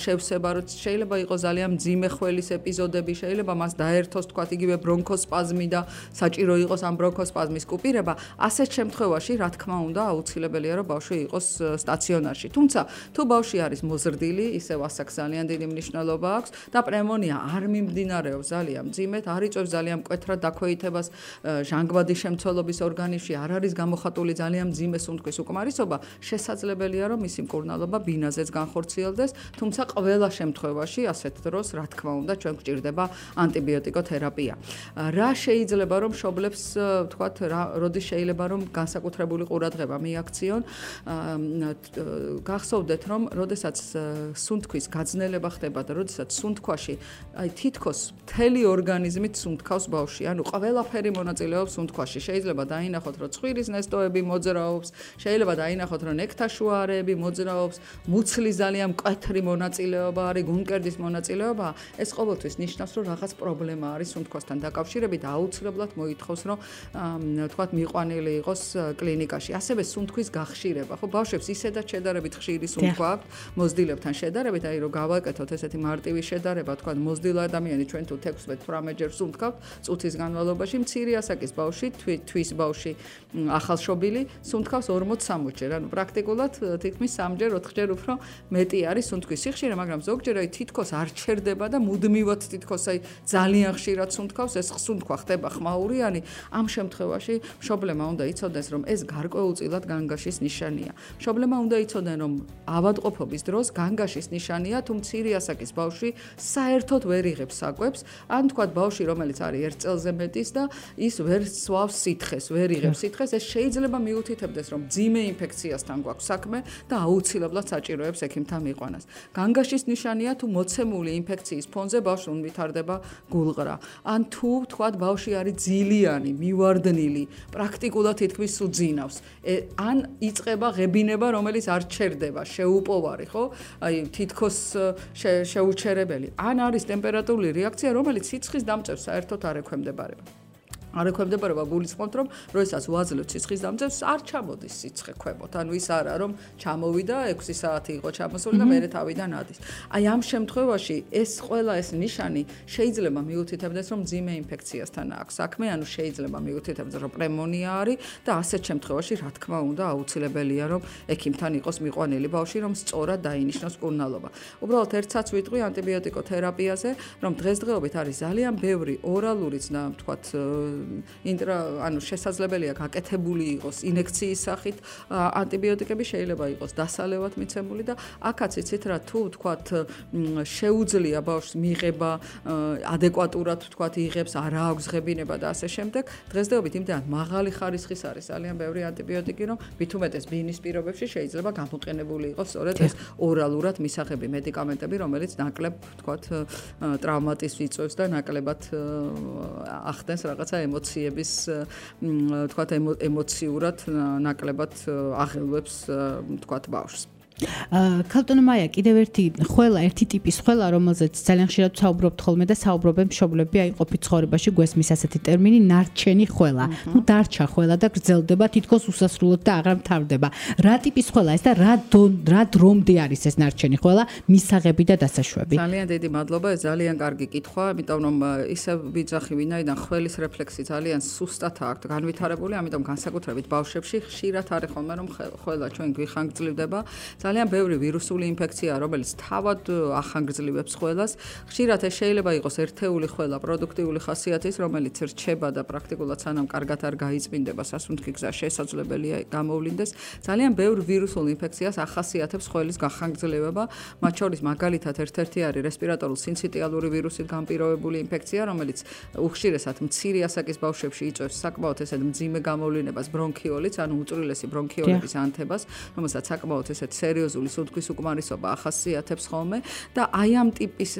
შევსება, რომ შეიძლება იყოს ძალიან მძიმე ხველის ეპიზოდები, შეიძლება მას დაერთოს, თქვათ, იგივე ბრონქოსპაზმი და საჭირო იყოს ამ ბრონქოსპაზმის კუპირება. ასეთ შემთხვევაში, რა თქმა უნდა, აუცილებელია, რომ ბავშვი იყოს სტაციონარში. თუმცა, თუ ბავშვი არის მოზრდილი, ისევ ასაკს ძალიან დიდი მნიშვნელობა აქვს და პნემონია არ მიმდინარეობს ძალიან მძიმედ, არ იწვევს ძალიან მკვეთრად დაქვეითებას ჟანგბადის შემცველობის ორგანიზმში, არ არის გამოხატული ძალიან მძიმე სუნთქვის უკმარისობა, შესაძლებელია, რომ მისი მკურნალობა ბინაზეც განხორციელდეს, თუმცა ყველა შემთხვევაში ასეთ დროს, რა თქმა უნდა, ჩვენ გვჭირდება ანტიბიოტიკოთერაპია. რა შეიძლება რომ მშობლებს, თქვათ, როდის შეიძლება რომ განსაკუთრებული ყურადღება მიაქციონ, გახსოვდეთ, რომ როდესაც სუნთქვის გაძნელება ხდება და როდესაც სუნთქვაში აი თითქოს მთელი ორგანიზმით სუნთქავს ბავშვი, ანუ ყველაფერი მონაწილეობს სუნთქვაში. შეიძლება დაინახოთ, რომ ცხვირის ნესტოები მოძრაობს, შეიძლება დაინახოთ, რომ ნექტაშუა არეები მოძრაობს, მუცლის ძალიან მკვეთრი მონაწილეობა არის, გულმკერდის მონაწილეობა. ეს ყოველთვის ნიშნავს, რომ რაღაც პრობლემა არის სუნთქვასთან დაკავშირებით და აუცილებლად მოითხოვს, რომ თქვათ, მიყვანილი იყოს კლინიკაში. ასევე სუნთქვის გახშირება, ხო, ბავშვებს ისედაც შედარებით ხშირი სუნთქვა აქვთ, მოზრდილებთან შედარებით, აი რომ გავაკეთოთ ესეთი მარტივი შედარება, თქვა მოზრდილ ადამიანი ჩვენ თუ თექვსმეტ-თვრამეტ ჯერ სუნთქავთ წუთის განმავლობაში, მცირე ასაკის ბავშვი, თვის ბავშვი ახალშობილი სუნთქავს ორმოც-სამოცი ჯერ, ანუ პრაქტიკულად თითქმის სამჯერ, ოთხჯერ უფრო მეტი არის სუნთქვის სიხშირე, მაგრამ ზოგჯერ აი თითქოს არ ჩერდება და მუდმივად თითქოს აი ძალიან ხშირად სუნთქავს, ეს სუნთქვა ხდება ხმაურიანი, ამ შემთხვევაში მშობლემა უნდა იცოდეს, რომ ეს გარკვეულწილად განგაშის ნიშანია. მშობლემა უნდა იცოდნენ, რომ ავადმყოფობის დროს განგაშის ნიშანია, თუ მცირე ასაკის ბავშვი საერთოდ ვერ იღებს საკვებს, ან თქვათ ბავშვი, რომელიც არის ერთ წელზე მეტის და ის ვერ სვავს სითხეს, ვერ იღებს სითხეს, ეს შეიძლება მიუთითებდეს, რომ მძიმე ინფექციასთან გვაქვს საქმე და აუცილებლად საჭიროებს ექიმთან მიყვანას. განგაშის ნიშანია, თუ მოცემული ინფექციის ფონზე ბავშვს ვითარდება გულღრა, ან თუ თქვათ ბავშვი არის ძილიანი, მივარდნილი, პრაქტიკულად თითქმის უძინავს, ან იწყება ღებინება, რომელიც არ ჩერდება, შეუპოვარი, ხო? აი თითქოს შეუჩერებელი. ან არის ტემპერატურული რეაქცია, რომელიც სიცხის დამწევს საერთოდ არ ექვემდებარება. არ ექვემდებარება გულისხმობთ, რომ როდესაც ვაძლევთ სიცხის დამწევს, არ ჩამოდის სიცხე ქვემოთ. ანუ ის არა, რომ ჩამოვიდა ექვსი საათი იყო ჩამოსული და მერე თავიდან ადის. აი ამ შემთხვევაში ეს ყველა ეს ნიშანი შეიძლება მიუთითებდეს, რომ მძიმე ინფექციასთან აქვს საქმე, ანუ შეიძლება მიუთითებდეს, რომ პნემონია არის და ასეთ შემთხვევაში, რა თქმა უნდა, აუცილებელია, რომ ექიმთან იყოს მიყვანილი ბავშვი, რომ სწორად დაინიშნოს მკურნალობა. უბრალოდ ერთსაც ვიტყვი ანტიბიოტიკოთერაპიაზე, რომ დღესდღეობით არის ძალიან ბევრი ორალურიც და თქვათ ინტრა ანუ შესაძლებელია გაკეთებული იყოს ინექციის სახით ანტიბიოტიკები, შეიძლება იყოს დასალევად მიცემული და აქაც იცით რა, თუ თქვათ შეუძლია ბავშვს მიღება ადეკვატურად თქვათ იღებს, არა აქვს ღებინება და ასე შემდეგ, დღესდღეობით იმდენად მაღალი ხარისხის არის ძალიან ბევრი ანტიბიოტიკი, რომ მით უმეტეს ბინის პირობებში შეიძლება გამოყენებული იყოს სწორედ ეს ორალურად მისაღები მედიკამენტები, რომელიც ნაკლებ თქვათ ტრავმატის იწვევს და ნაკლებად ახდენს რაღაცა ემოციების, თქვათ, ემოციურად ნაკლებად აღელვებს, თქვათ, ბავშვს. ქალბატონო მაია, კიდევ ერთი ხველა, ერთი ტიპის ხველა, რომელზეც ძალიან ხშირად საუბრობთ ხოლმე და საუბრობენ მშობლები, აი ყოფით ცხოვრებაში გვესმის ასეთი ტერმინი ნარჩენი ხველა. ნუ დარჩა ხველა და გრძელდება თითქოს უსასრულოდ და აღარ მთავრდება. რა ტიპის ხველა ეს და რა რა დრომდე არის ეს ნარჩენი ხველა, მისაღები და დასაშვები? ძალიან დიდი მადლობა, ეს ძალიან კარგი კითხვა, იმიტომ რომ ისევ ვიძახი, ვინაიდან ხველის რეფლექსი ძალიან სუსტად აქვს განვითარებული, ამიტომ განსაკუთრებით ბავშვებში ხშირად არის ხოლმე რომ ხველა ჩვენ გვიხანგრძლივდება. ძალიან ბევრი ვირუსული ინფექციაა, რომელიც თავად ახანგრძლივებს ხველას. ხშირად ეს შეიძლება იყოს ერთეული ხველა პროდუქტიული ხასიათის, რომელიც რჩება და პრაქტიკულად სანამ კარგად არ გაიწმინდება სასუნთქი გზა შესაძლებელია გამოვლინდეს. ძალიან ბევრ ვირუსულ ინფექციას ახასიათებს ხველის გახანგრძლივება, მათ შორის მაგალითად ერთ-ერთი არის რესპირატორულ სინციტიალური ვირუსით განპირობებული ინფექცია, რომელიც უხშირესად მცირე ასაკის ბავშვებში იწვევს საკმაოდ ესეთ მძიმე გამოვლინებას ბრონქიოლიც, ანუ უწვრილესი ბრონქიოლების ანთებას, რომელსაც საკმაოდ ესეთ სერიოზული სუნთქვის უკმარისობა ახასიათებს ხოლმე და აი ამ ტიპის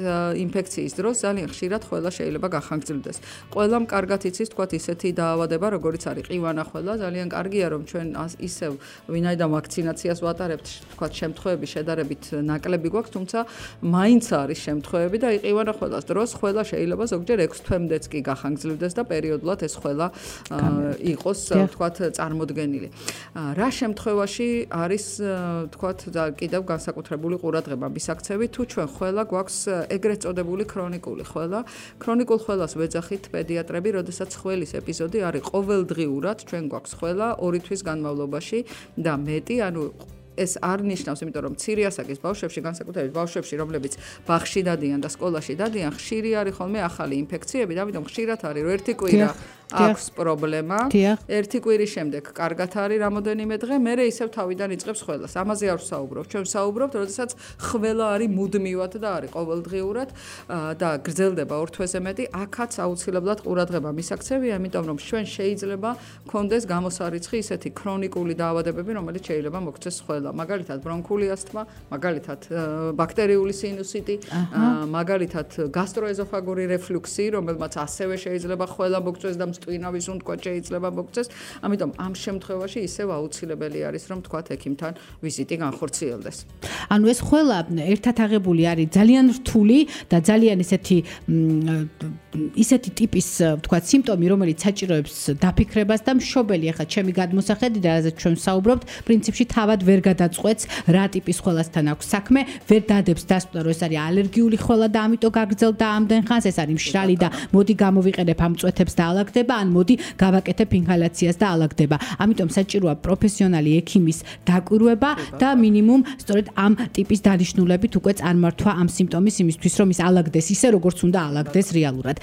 ინფექციის დროს ძალიან ხშირად ხველა შეიძლება გახანგრძლივდეს. ყველამ კარგად იცის, თქვათ ისეთი დაავადება, როგორიც არის ყივანა ხველა, ძალიან კარგია რომ ჩვენ ისევ ვინაიდან ვაქცინაციას ვატარებთ, თქვათ შემთხვევები შედარებით ნაკლები გვაქვს, თუმცა მაინც არის შემთხვევები და იყივანა ხველას დროს ხველა შეიძლება ზოგჯერ ექვს თვემდეც კი გახანგრძლივდეს და პერიოდულად ეს ხველა იყოს თქვათ წარმოდგენილი. რა შემთხვევაში არის თქვათ კიდევ განსაკუთრებული ყურადღება მისაქცევი თუ ჩვენ ხველა გვაქვს ეგრეთ წოდებული ქრონიკული ხველა. ქრონიკულ ხველას ვეძახით პედიატრები, როდესაც ხველის ეპიზოდი არის ყოველდღიურად ჩვენ გვაქვს ხველა ორი თვის განმავლობაში და მეტი, ანუ ეს არ ნიშნავს, იმიტომ რომ მცირე ასაკის ბავშვებში, განსაკუთრებით ბავშვებში, რომლებიც ბაღში დადიან და სკოლაში დადიან, ხშირი არის ხოლმე ახალი ინფექციები და ამიტომ ხშირად არის რომ ერთი კვირა აქვს პრობლემა. ერთი კვირის შემდეგ კარგად არის რამოდენიმე დღე, მერე ისევ თავიდან იწყებს ხველას. ამაზე არ ვსაუბრობ. ჩვენ ვსაუბრობთ, როდესაც ხველა არის მუდმივად და არის ყოველდღიურად და გრძელდება ორ თვეზე მეტი, აქაც აუცილებლად ყურადღება მისაქცევია, იმიტომ რომ ჩვენ შეიძლება გქონდეს გამოსარიცხი ისეთი ქრონიკული დაავადებები, რომელიც შეიძლება მოგვცეს ხველა. მაგალითად ბრონქული ასთმა, მაგალითად ბაქტერიული სინუსიტი, მაგალითად გასტროეზოფაგური რეფლუქსი, რომელმაც ასევე შეიძლება ხველა მოგვცეს და მწვინავის უნთქვა შეიძლება მოგვცეს. ამიტომ ამ შემთხვევაში ისევ აუცილებელი არის რომ თქვათ ექიმთან ვიზიტი განხორციელდეს. ანუ ეს ხველა ერთად აღებული არის ძალიან რთული და ძალიან ესეთი ისეთი ტიპის თქვათ სიმპტომი, რომელიც საჭიროებს დაფიქრებას და მშობელი ახლა ჩემი გადმოსახედი და რაზეც ჩვენ ვსაუბრობთ, პრინციპში თავად ვერ გადაწყვეტს რა ტიპის ხველასთან აქვს საქმე, ვერ დადებს დასკვნა რომ ეს არის ალერგიული ხველა და ამიტომ გაგრძელდა ამდენ ხანს, ეს არის მშრალი და მოდი გამოვიყენებ ამ წვეთებს და ალაგდება, ან მოდი გავაკეთებ ინჰალაციას და ალაგდება. ამიტომ საჭიროა პროფესიონალი ექიმის დაკვირვება და მინიმუმ სწორედ ამ ტიპის დანიშნულებით უკვე წარმართვა ამ სიმპტომის იმისთვის რომ ის ალაგდეს ისე როგორც უნდა ალაგდეს რეალურად.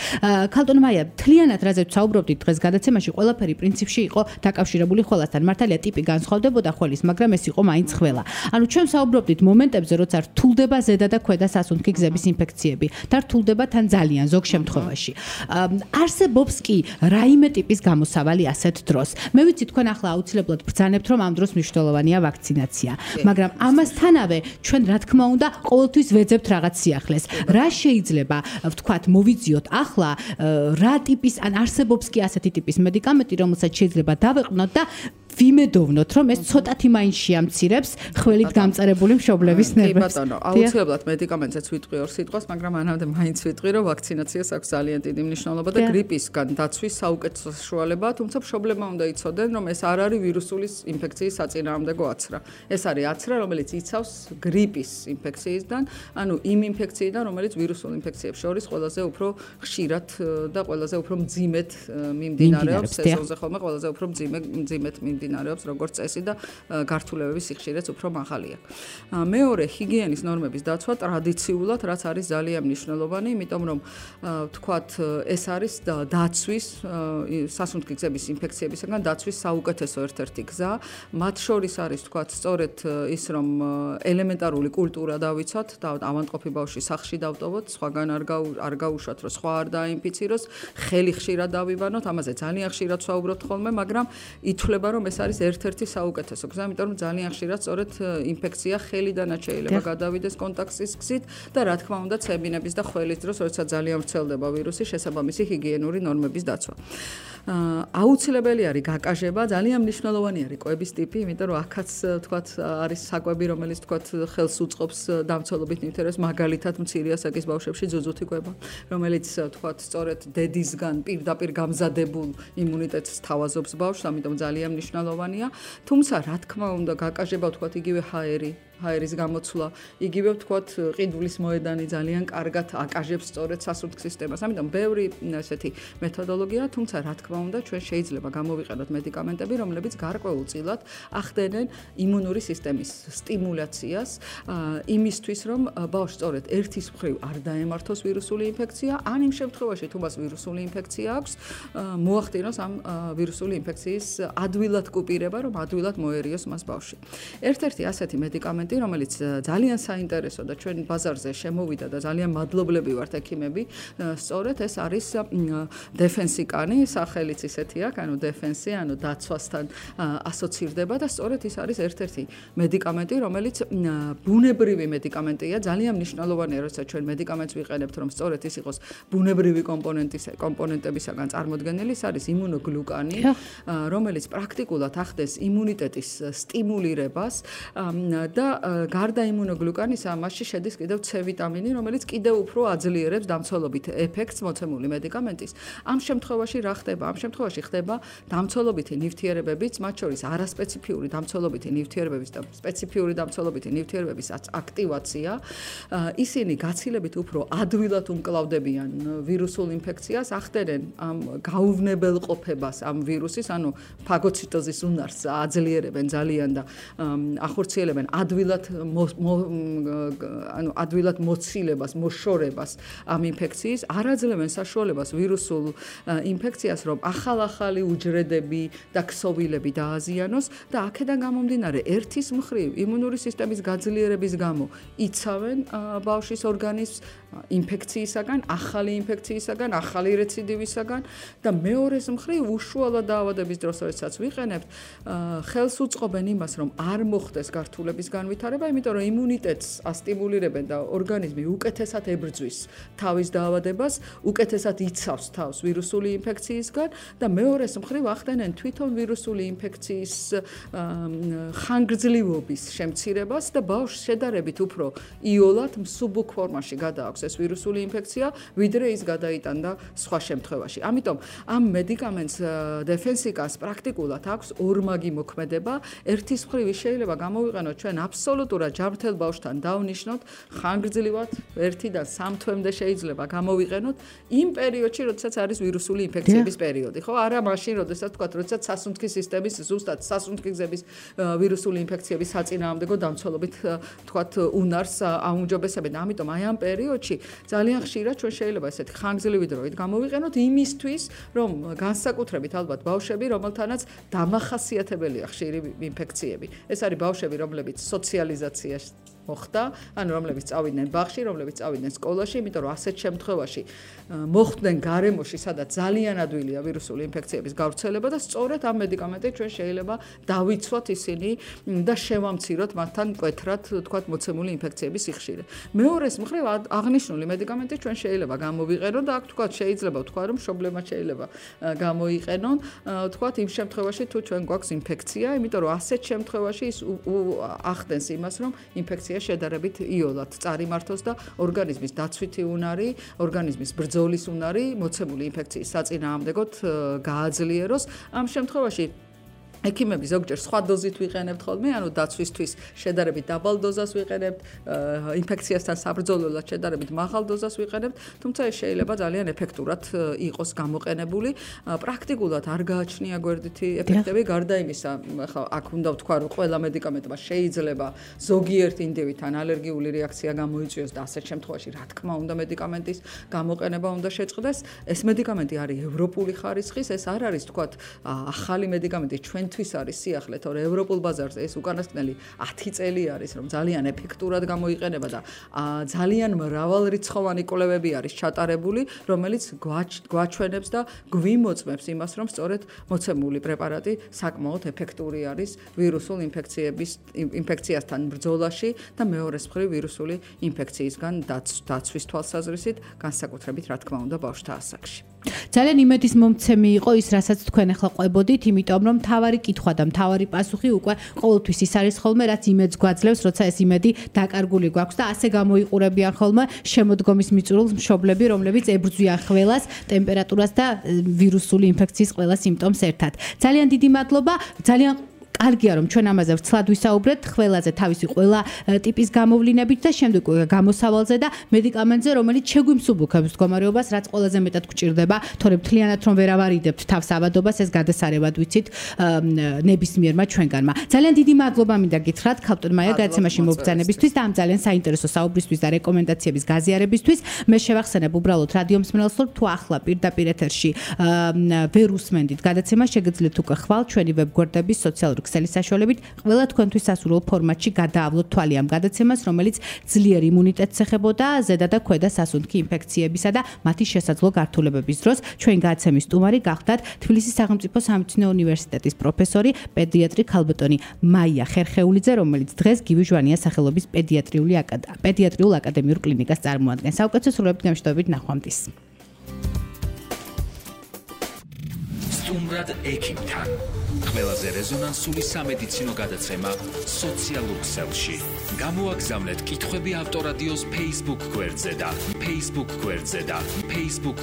ქალტონ მაია, თლიანად რაზეც ვსაუბრობდით დღეს გადაცემაში, ყველაფერი პრინციპში იყო დაკავშირებული ხველასთან. მართალია ტიპი განსხვავდებოდა ხველის, მაგრამ ეს იყო მაინც ხველა. ანუ ჩვენ ვსაუბრობდით მომენტებზე, როცა რთულდება ზედა და ქვედა სასუნთქი გზების ინფექციები და რთულდება თან ძალიან ზოგ შემთხვევაში. არსებობს კი რაიმე ტიპის გამოსავალი ასეთ დროს. მე ვიცი თქვენ ახლა აუცილებლად ბრძანებთ, რომ ამ დროს მნიშვნელოვანია ვაქცინაცია, მაგრამ ამასთანავე ჩვენ რა თქმა უნდა ყოველთვის ვეძებთ რაღაც სიახლეს. რა შეიძლება ვთქვათ მოვიძიოთ ახლა რა ტიპის ან არსებობს კი ასეთი ტიპის მედიკამენტი, რომელსაც შეიძლება დავეყვნოთ და ვიმედოვნოთ, რომ ეს ცოტათი მაინც შეამცირებს ხველით გამწარებული მშობლების ნერვებს. კი ბატონო, აუცილებლად მედიკამენტსაც ვიტყვი ორ სიტყვას, მაგრამ ანამდე მაინც ვიტყვი, რომ ვაქცინაციას აქვს ძალიან დიდი მნიშვნელობა და გრიპისგან დაცვის საუკეთესო საშუალებაა, თუმცა მშობლებმა უნდა იცოდნენ, რომ ეს არ არის ვირუსული ინფექციის საწინააღმდეგო აცრა. ეს არის აცრა, რომელიც იცავს გრიპის ინფექციისგან, ანუ იმ ინფექციიდან, რომელიც ვირუსულ ინფექციებს შორის ყველაზე უფრო ხშირად და ყველაზე უფრო მძიმედ მიმდინარეობს, სეზონზე ხოლმე ყველაზე უფრო მძიმე მძიმედ მიმდინარეობს, როგორც წესი და გართულებების სიხშირეც უფრო მაღალი აქვს. მეორე, ჰიგიენის ნორმების დაცვა ტრადიციულად, რაც არის ძალიან მნიშვნელოვანი, იმიტომ რომ ვთქვათ, ეს არის დაცვის სასუნთქი გზების ინფექციებისგან დაცვის საუკეთესო ერთ-ერთი გზა. მათ შორის არის ვთქვათ, სწორედ ის რომ ელემენტარული კულტურა დავიცვათ და ავადმყოფი ბავშვი სახლში დავტოვოთ, სხვაგან არ არ გაუშვათ, რომ სხვა არ დაინფიციროს, ხელი ხშირად დავიბანოთ, ამაზე ძალიან ხშირად ვსაუბრობთ ხოლმე, მაგრამ ითვლება რომ ეს არის ერთ-ერთი საუკეთესო გზა, იმიტომ რომ ძალიან ხშირად სწორედ ინფექცია ხელიდანაც შეიძლება გადავიდეს კონტაქტის გზით და რა თქმა უნდა ცებინების და ხველის დროს, როდესაც ძალიან ვრცელდება ვირუსი, შესაბამისი ჰიგიენური ნორმების დაცვა. აუცილებელი არის გაკაჟება, ძალიან მნიშვნელოვანი არის კვების ტიპი, იმიტომ რომ აქაც თქვათ არის საკვები, რომელიც თქვათ ხელს უწყობს დამცველობით ნივთიერებას, მაგალითად მცირე ასაკის ბავშვებში ძუძუთი კვება, რომელიც თქვათ სწორედ დედისგან პირდაპირ გამზადებულ იმუნიტეტს თავაზობს ბავშვს, ამიტომ ძალიან მნიშვნელოვანია. თუმცა რა თქმა უნდა გაკაჟება თქვათ იგივე ჰაერი ჰაერის გამოცვლა, იგივე ვთქვათ, ყიდულის მოედანი ძალიან კარგად აკაჟებს სწორედ სასუნთქ სისტემას. ამიტომ ბევრი ესეთი მეთოდოლოგია, თუმცა რა თქმა უნდა, ჩვენ შეიძლება გამოვიყენოთ მედიკამენტები, რომლებიც გარკვეულწილად ახდენენ იმუნური სისტემის სტიმულაციას, იმისთვის, რომ ბავშვს სწორედ ერთის მხრივ არ დაემართოს ვირუსული ინფექცია, ან იმ შემთხვევაში, თუ მას ვირუსული ინფექცია აქვს, მოახდინოს ამ ვირუსული ინფექციის ადვილად კუპირება, რომ ადვილად მოერიოს მას ბავშვი. ერთ-ერთი ასეთი მედიკამენტი, რომელიც ძალიან საინტერესო და ჩვენ ბაზარზე შემოვიდა და ძალიან მადლობლები ვართ ექიმები, სწორედ ეს არის დეფენსიკანი, სახელიც ისეთი აქვს, ანუ დეფენსი, ანუ დაცვასთან ასოცირდება და სწორედ ის არის ერთ-ერთი მედიკამენტი, რომელიც ბუნებრივი მედიკამენტია, ძალიან მნიშვნელოვანია, როცა ჩვენ მედიკამენტს ვიყენებთ, რომ სწორედ ის იყოს ბუნებრივი კომპონენტის კომპონენტებისაგან წარმოდგენილი, ის არის იმუნოგლუკანი, რომელიც პრაქტიკულად ახდენს იმუნიტეტის სტიმულირებას და გარდა იმუნოგლუკანისა, მასში შედის კიდევ C ვიტამინი, რომელიც კიდევ უფრო აძლიერებს დამცველობით ეფექტს მოცემული მედიკამენტის. ამ შემთხვევაში რა ხდება? ამ შემთხვევაში ხდება დამცველობითი ნივთიერებებიც, მათ შორის არასპეციფიური დამცველობითი ნივთიერებების და სპეციფიური დამცველობითი ნივთიერებების აქტივაცია. ისინი გაცილებით უფრო ადვილად უმკლავდებიან ვირუსულ ინფექციას, ახდენენ ამ გაუვნებელყოფებას ამ ვირუსის, ანუ ფაგოციტოზის უნარს აძლიერებენ ძალიან და ახორციელებენ ადვილად ანუ ადვილად მოცილებას, მოშორებას ამ ინფექციის, არაძლევენ საშუალებას ვირუსულ ინფექციას, რომ ახალ-ახალი უჯრედები და ქსოვილები დააზიანოს და აქედან გამომდინარე ერთის მხრივ იმუნური სისტემის გაძლიერების გამო იცავენ ბავშვის ორგანიზმს ინფექციისაგან, ახალი ინფექციისაგან, ახალი რეციდივისაგან და მეორეს მხრივ უშუალო დაავადების დროს, როდესაც ვიყენებთ, ხელს უწყობენ იმას, რომ არ მოხდეს გართულების განვითარება, იმიტომ რომ იმუნიტეტს ასტიმულირებენ და ორგანიზმი უკეთესად ებრძვის თავის დაავადებას, უკეთესად იცავს თავს ვირუსული ინფექციისგან და მეორეს მხრივ ახდენენ თვითონ ვირუსული ინფექციის ხანგრძლივობის შემცირებას და ბავშვს შედარებით უფრო იოლად მსუბუქ ფორმაში გადააქვს ეს ვირუსული ინფექცია, ვიდრე ის გადაიტანდა სხვა შემთხვევაში. ამიტომ ამ მედიკამენტს დეფენსიკას პრაქტიკულად აქვს ორმაგი მოქმედება. ერთის მხრივ შეიძლება გამოვიყენოთ ჩვენ აბსოლუტურად ჯანმრთელ ბავშვთან დავნიშნოთ, ხანგრძლივად ერთიდან სამ თვემდე შეიძლება გამოვიყენოთ იმ პერიოდში, როდესაც არის ვირუსული ინფექციების პერიოდი, ხო? არა მაშინ, როდესაც თქვა, როდესაც სასუნთქის სისტემის ზუსტად სასუნთქი გზების ვირუსული ინფექციების საწინააღმდეგო დამცველობით თქვა უნარს აუმჯობესებენ. ამიტომ აი ამ პერიოდში ძალიან ხშირად ჩვენ შეიძლება ესეთი ხანგრძლივი დროით გამოვიყენოთ იმისთვის, რომ განსაკუთრებით ალბათ ბავშვები, რომელთანაც დამახასიათებელია ხშირი ინფექციები. ეს არის ბავშვები, რომლებიც სოციალიზაციაში მოხდა, ანუ რომლებიც წავიდნენ ბაღში, რომლებიც წავიდნენ სკოლაში, იმიტომ რომ ასეთ შემთხვევაში მოხვდნენ გარემოში, სადაც ძალიან ადვილია ვირუსული ინფექციების გავრცელება და სწორედ ამ მედიკამენტით ჩვენ შეიძლება დავიცვათ ისინი და შევამციროთ მათთან მკვეთრად, თქვათ, მოცემული ინფექციების სიხშირე. მეორეს მხრივ აღნიშნული მედიკამენტი ჩვენ შეიძლება გამოვიყენოთ და აქ თქვათ შეიძლება ვთქვა, რომ მშობლებმა შეიძლება გამოიყენონ, თქვათ, იმ შემთხვევაში თუ ჩვენ გვაქვს ინფექცია, იმიტომ რომ ასეთ შემთხვევაში ის ახდენს იმას, რომ ინფექცია შედარებით იოლად წარიმართოს და ორგანიზმის დაცვითი უნარი, ორგანიზმის ბრძოლის უნარი მოცემული ინფექციის საწინააღმდეგოდ გააძლიეროს. ამ შემთხვევაში ექიმები ზოგჯერ სხვა დოზით ვიყენებთ ხოლმე, ანუ დაცვისთვის შედარებით დაბალ დოზას ვიყენებთ, ინფექციასთან საბრძოლველად შედარებით მაღალ დოზას ვიყენებთ, თუმცა ეს შეიძლება ძალიან ეფექტურად იყოს გამოყენებული. პრაქტიკულად არ გააჩნია გვერდითი ეფექტები, გარდა იმისა, ხა აქ უნდა ვთქვა, რომ ყველა მედიკამენტმა შეიძლება ზოგიერთ ინდივიდთან ალერგიული რეაქცია გამოიწვიოს და ასეთ შემთხვევაში, რა თქმა უნდა, მედიკამენტის გამოყენება უნდა შეწყდეს. ეს მედიკამენტი არის ევროპული ხარისხის, ეს არ არის, თქვათ, ახალი მედიკამენტი ჩვენ თვის არის სიახლე, თორე ევროპულ ბაზარზე ეს უკანასკნელი ათი წელი არის, რომ ძალიან ეფექტურად გამოიყენება და ძალიან მრავალრიცხოვანი კვლევები არის ჩატარებული, რომელიც გვაჩვენებს და გვიმოწმებს იმას, რომ სწორედ მოცემული პრეპარატი საკმაოდ ეფექტური არის ვირუსულ ინფექციების ინფექციასთან ბრძოლაში და მეორეს მხრივ ვირუსული ინფექციისგან დაცვის თვალსაზრისით, განსაკუთრებით რა თქმა უნდა ბავშვთა ასაკში. ძალიან იმედის მომცემი იყო ის, რასაც თქვენ ახლა ყვებოდით, იმიტომ რომ თავარი კითხვა და თავარი პასუხი უკვე ყოველთვის ის არის ხოლმე, რაც იმედს გვაძლევს, როცა ეს იმედი დაკარგული გვაქვს და ასე გამოიყურებიან ხოლმე შემოდგომის მიწურულს მშობლები, რომლებიც ებრძვიან ხველას, ტემპერატურას და ვირუსული ინფექციის ყველა სიმპტომს ერთად. ძალიან დიდი მადლობა. ძალიან კარგია რომ ჩვენ ამაზე ვრცლად ვისაუბრეთ, ყველაზე თავისი ყველა ტიპის გამოვლინებით და შემდეგ გამოსავალზე და მედიკამენტზე, რომელიც შეგვიმსუბუქებს მდგომარეობას, რაც ყველაზე მეტად გვჭირდება, თორემ მთლიანად რომ ვერ ავარიდებთ თავს ავადობას, ეს გადასარევად ვიცით ნებისმიერმა ჩვენგანმა. ძალიან დიდი მადლობა მინდა გითხრათ ქალბატონ მაია გადაცემაში მობრძანებისთვის და ამ ძალიან საინტერესო საუბრისთვის და რეკომენდაციების გაზიარებისთვის. მე შევახსენებ უბრალოდ რადიო მსმენელს, რომ თუ ახლა პირდაპირ ეთერში ვერ უსმენდით გადაცემას, შეგიძლიათ უკვე ხვალ ჩვენი ვებგვერდების სოციალური ქსელის საშუალებით ყველა თქვენთვის სასურველ ფორმატში გადაავლოთ თვალი ამ გადაცემას, რომელიც ძლიერ იმუნიტეტს ეხებოდა ზედა და ქვედა სასუნთქი ინფექციებისა და მათი შესაძლო გართულებების დროს. ჩვენ გადაცემის სტუმარი გახდათ თბილისის სახელმწიფო სამედიცინო უნივერსიტეტის პროფესორი, პედიატრი ქალბატონი მაია ხერხეულიძე, რომელიც დღეს გივი ჟვანიას სახელობის პედიატრიული პედიატრიულ აკადემიურ კლინიკას წარმოადგენს. საუკეთესო სრულებით გამშვიდობებით ნახვამდის. სტუმრად ექიმთან. ყველაზე რეზონანსული სამედიცინო გადაცემა სოციალურ ქსელში. გამოაგზავნეთ კითხვები ავტორადიოს Facebook გვერდზე და Facebook გვერდზე და Facebook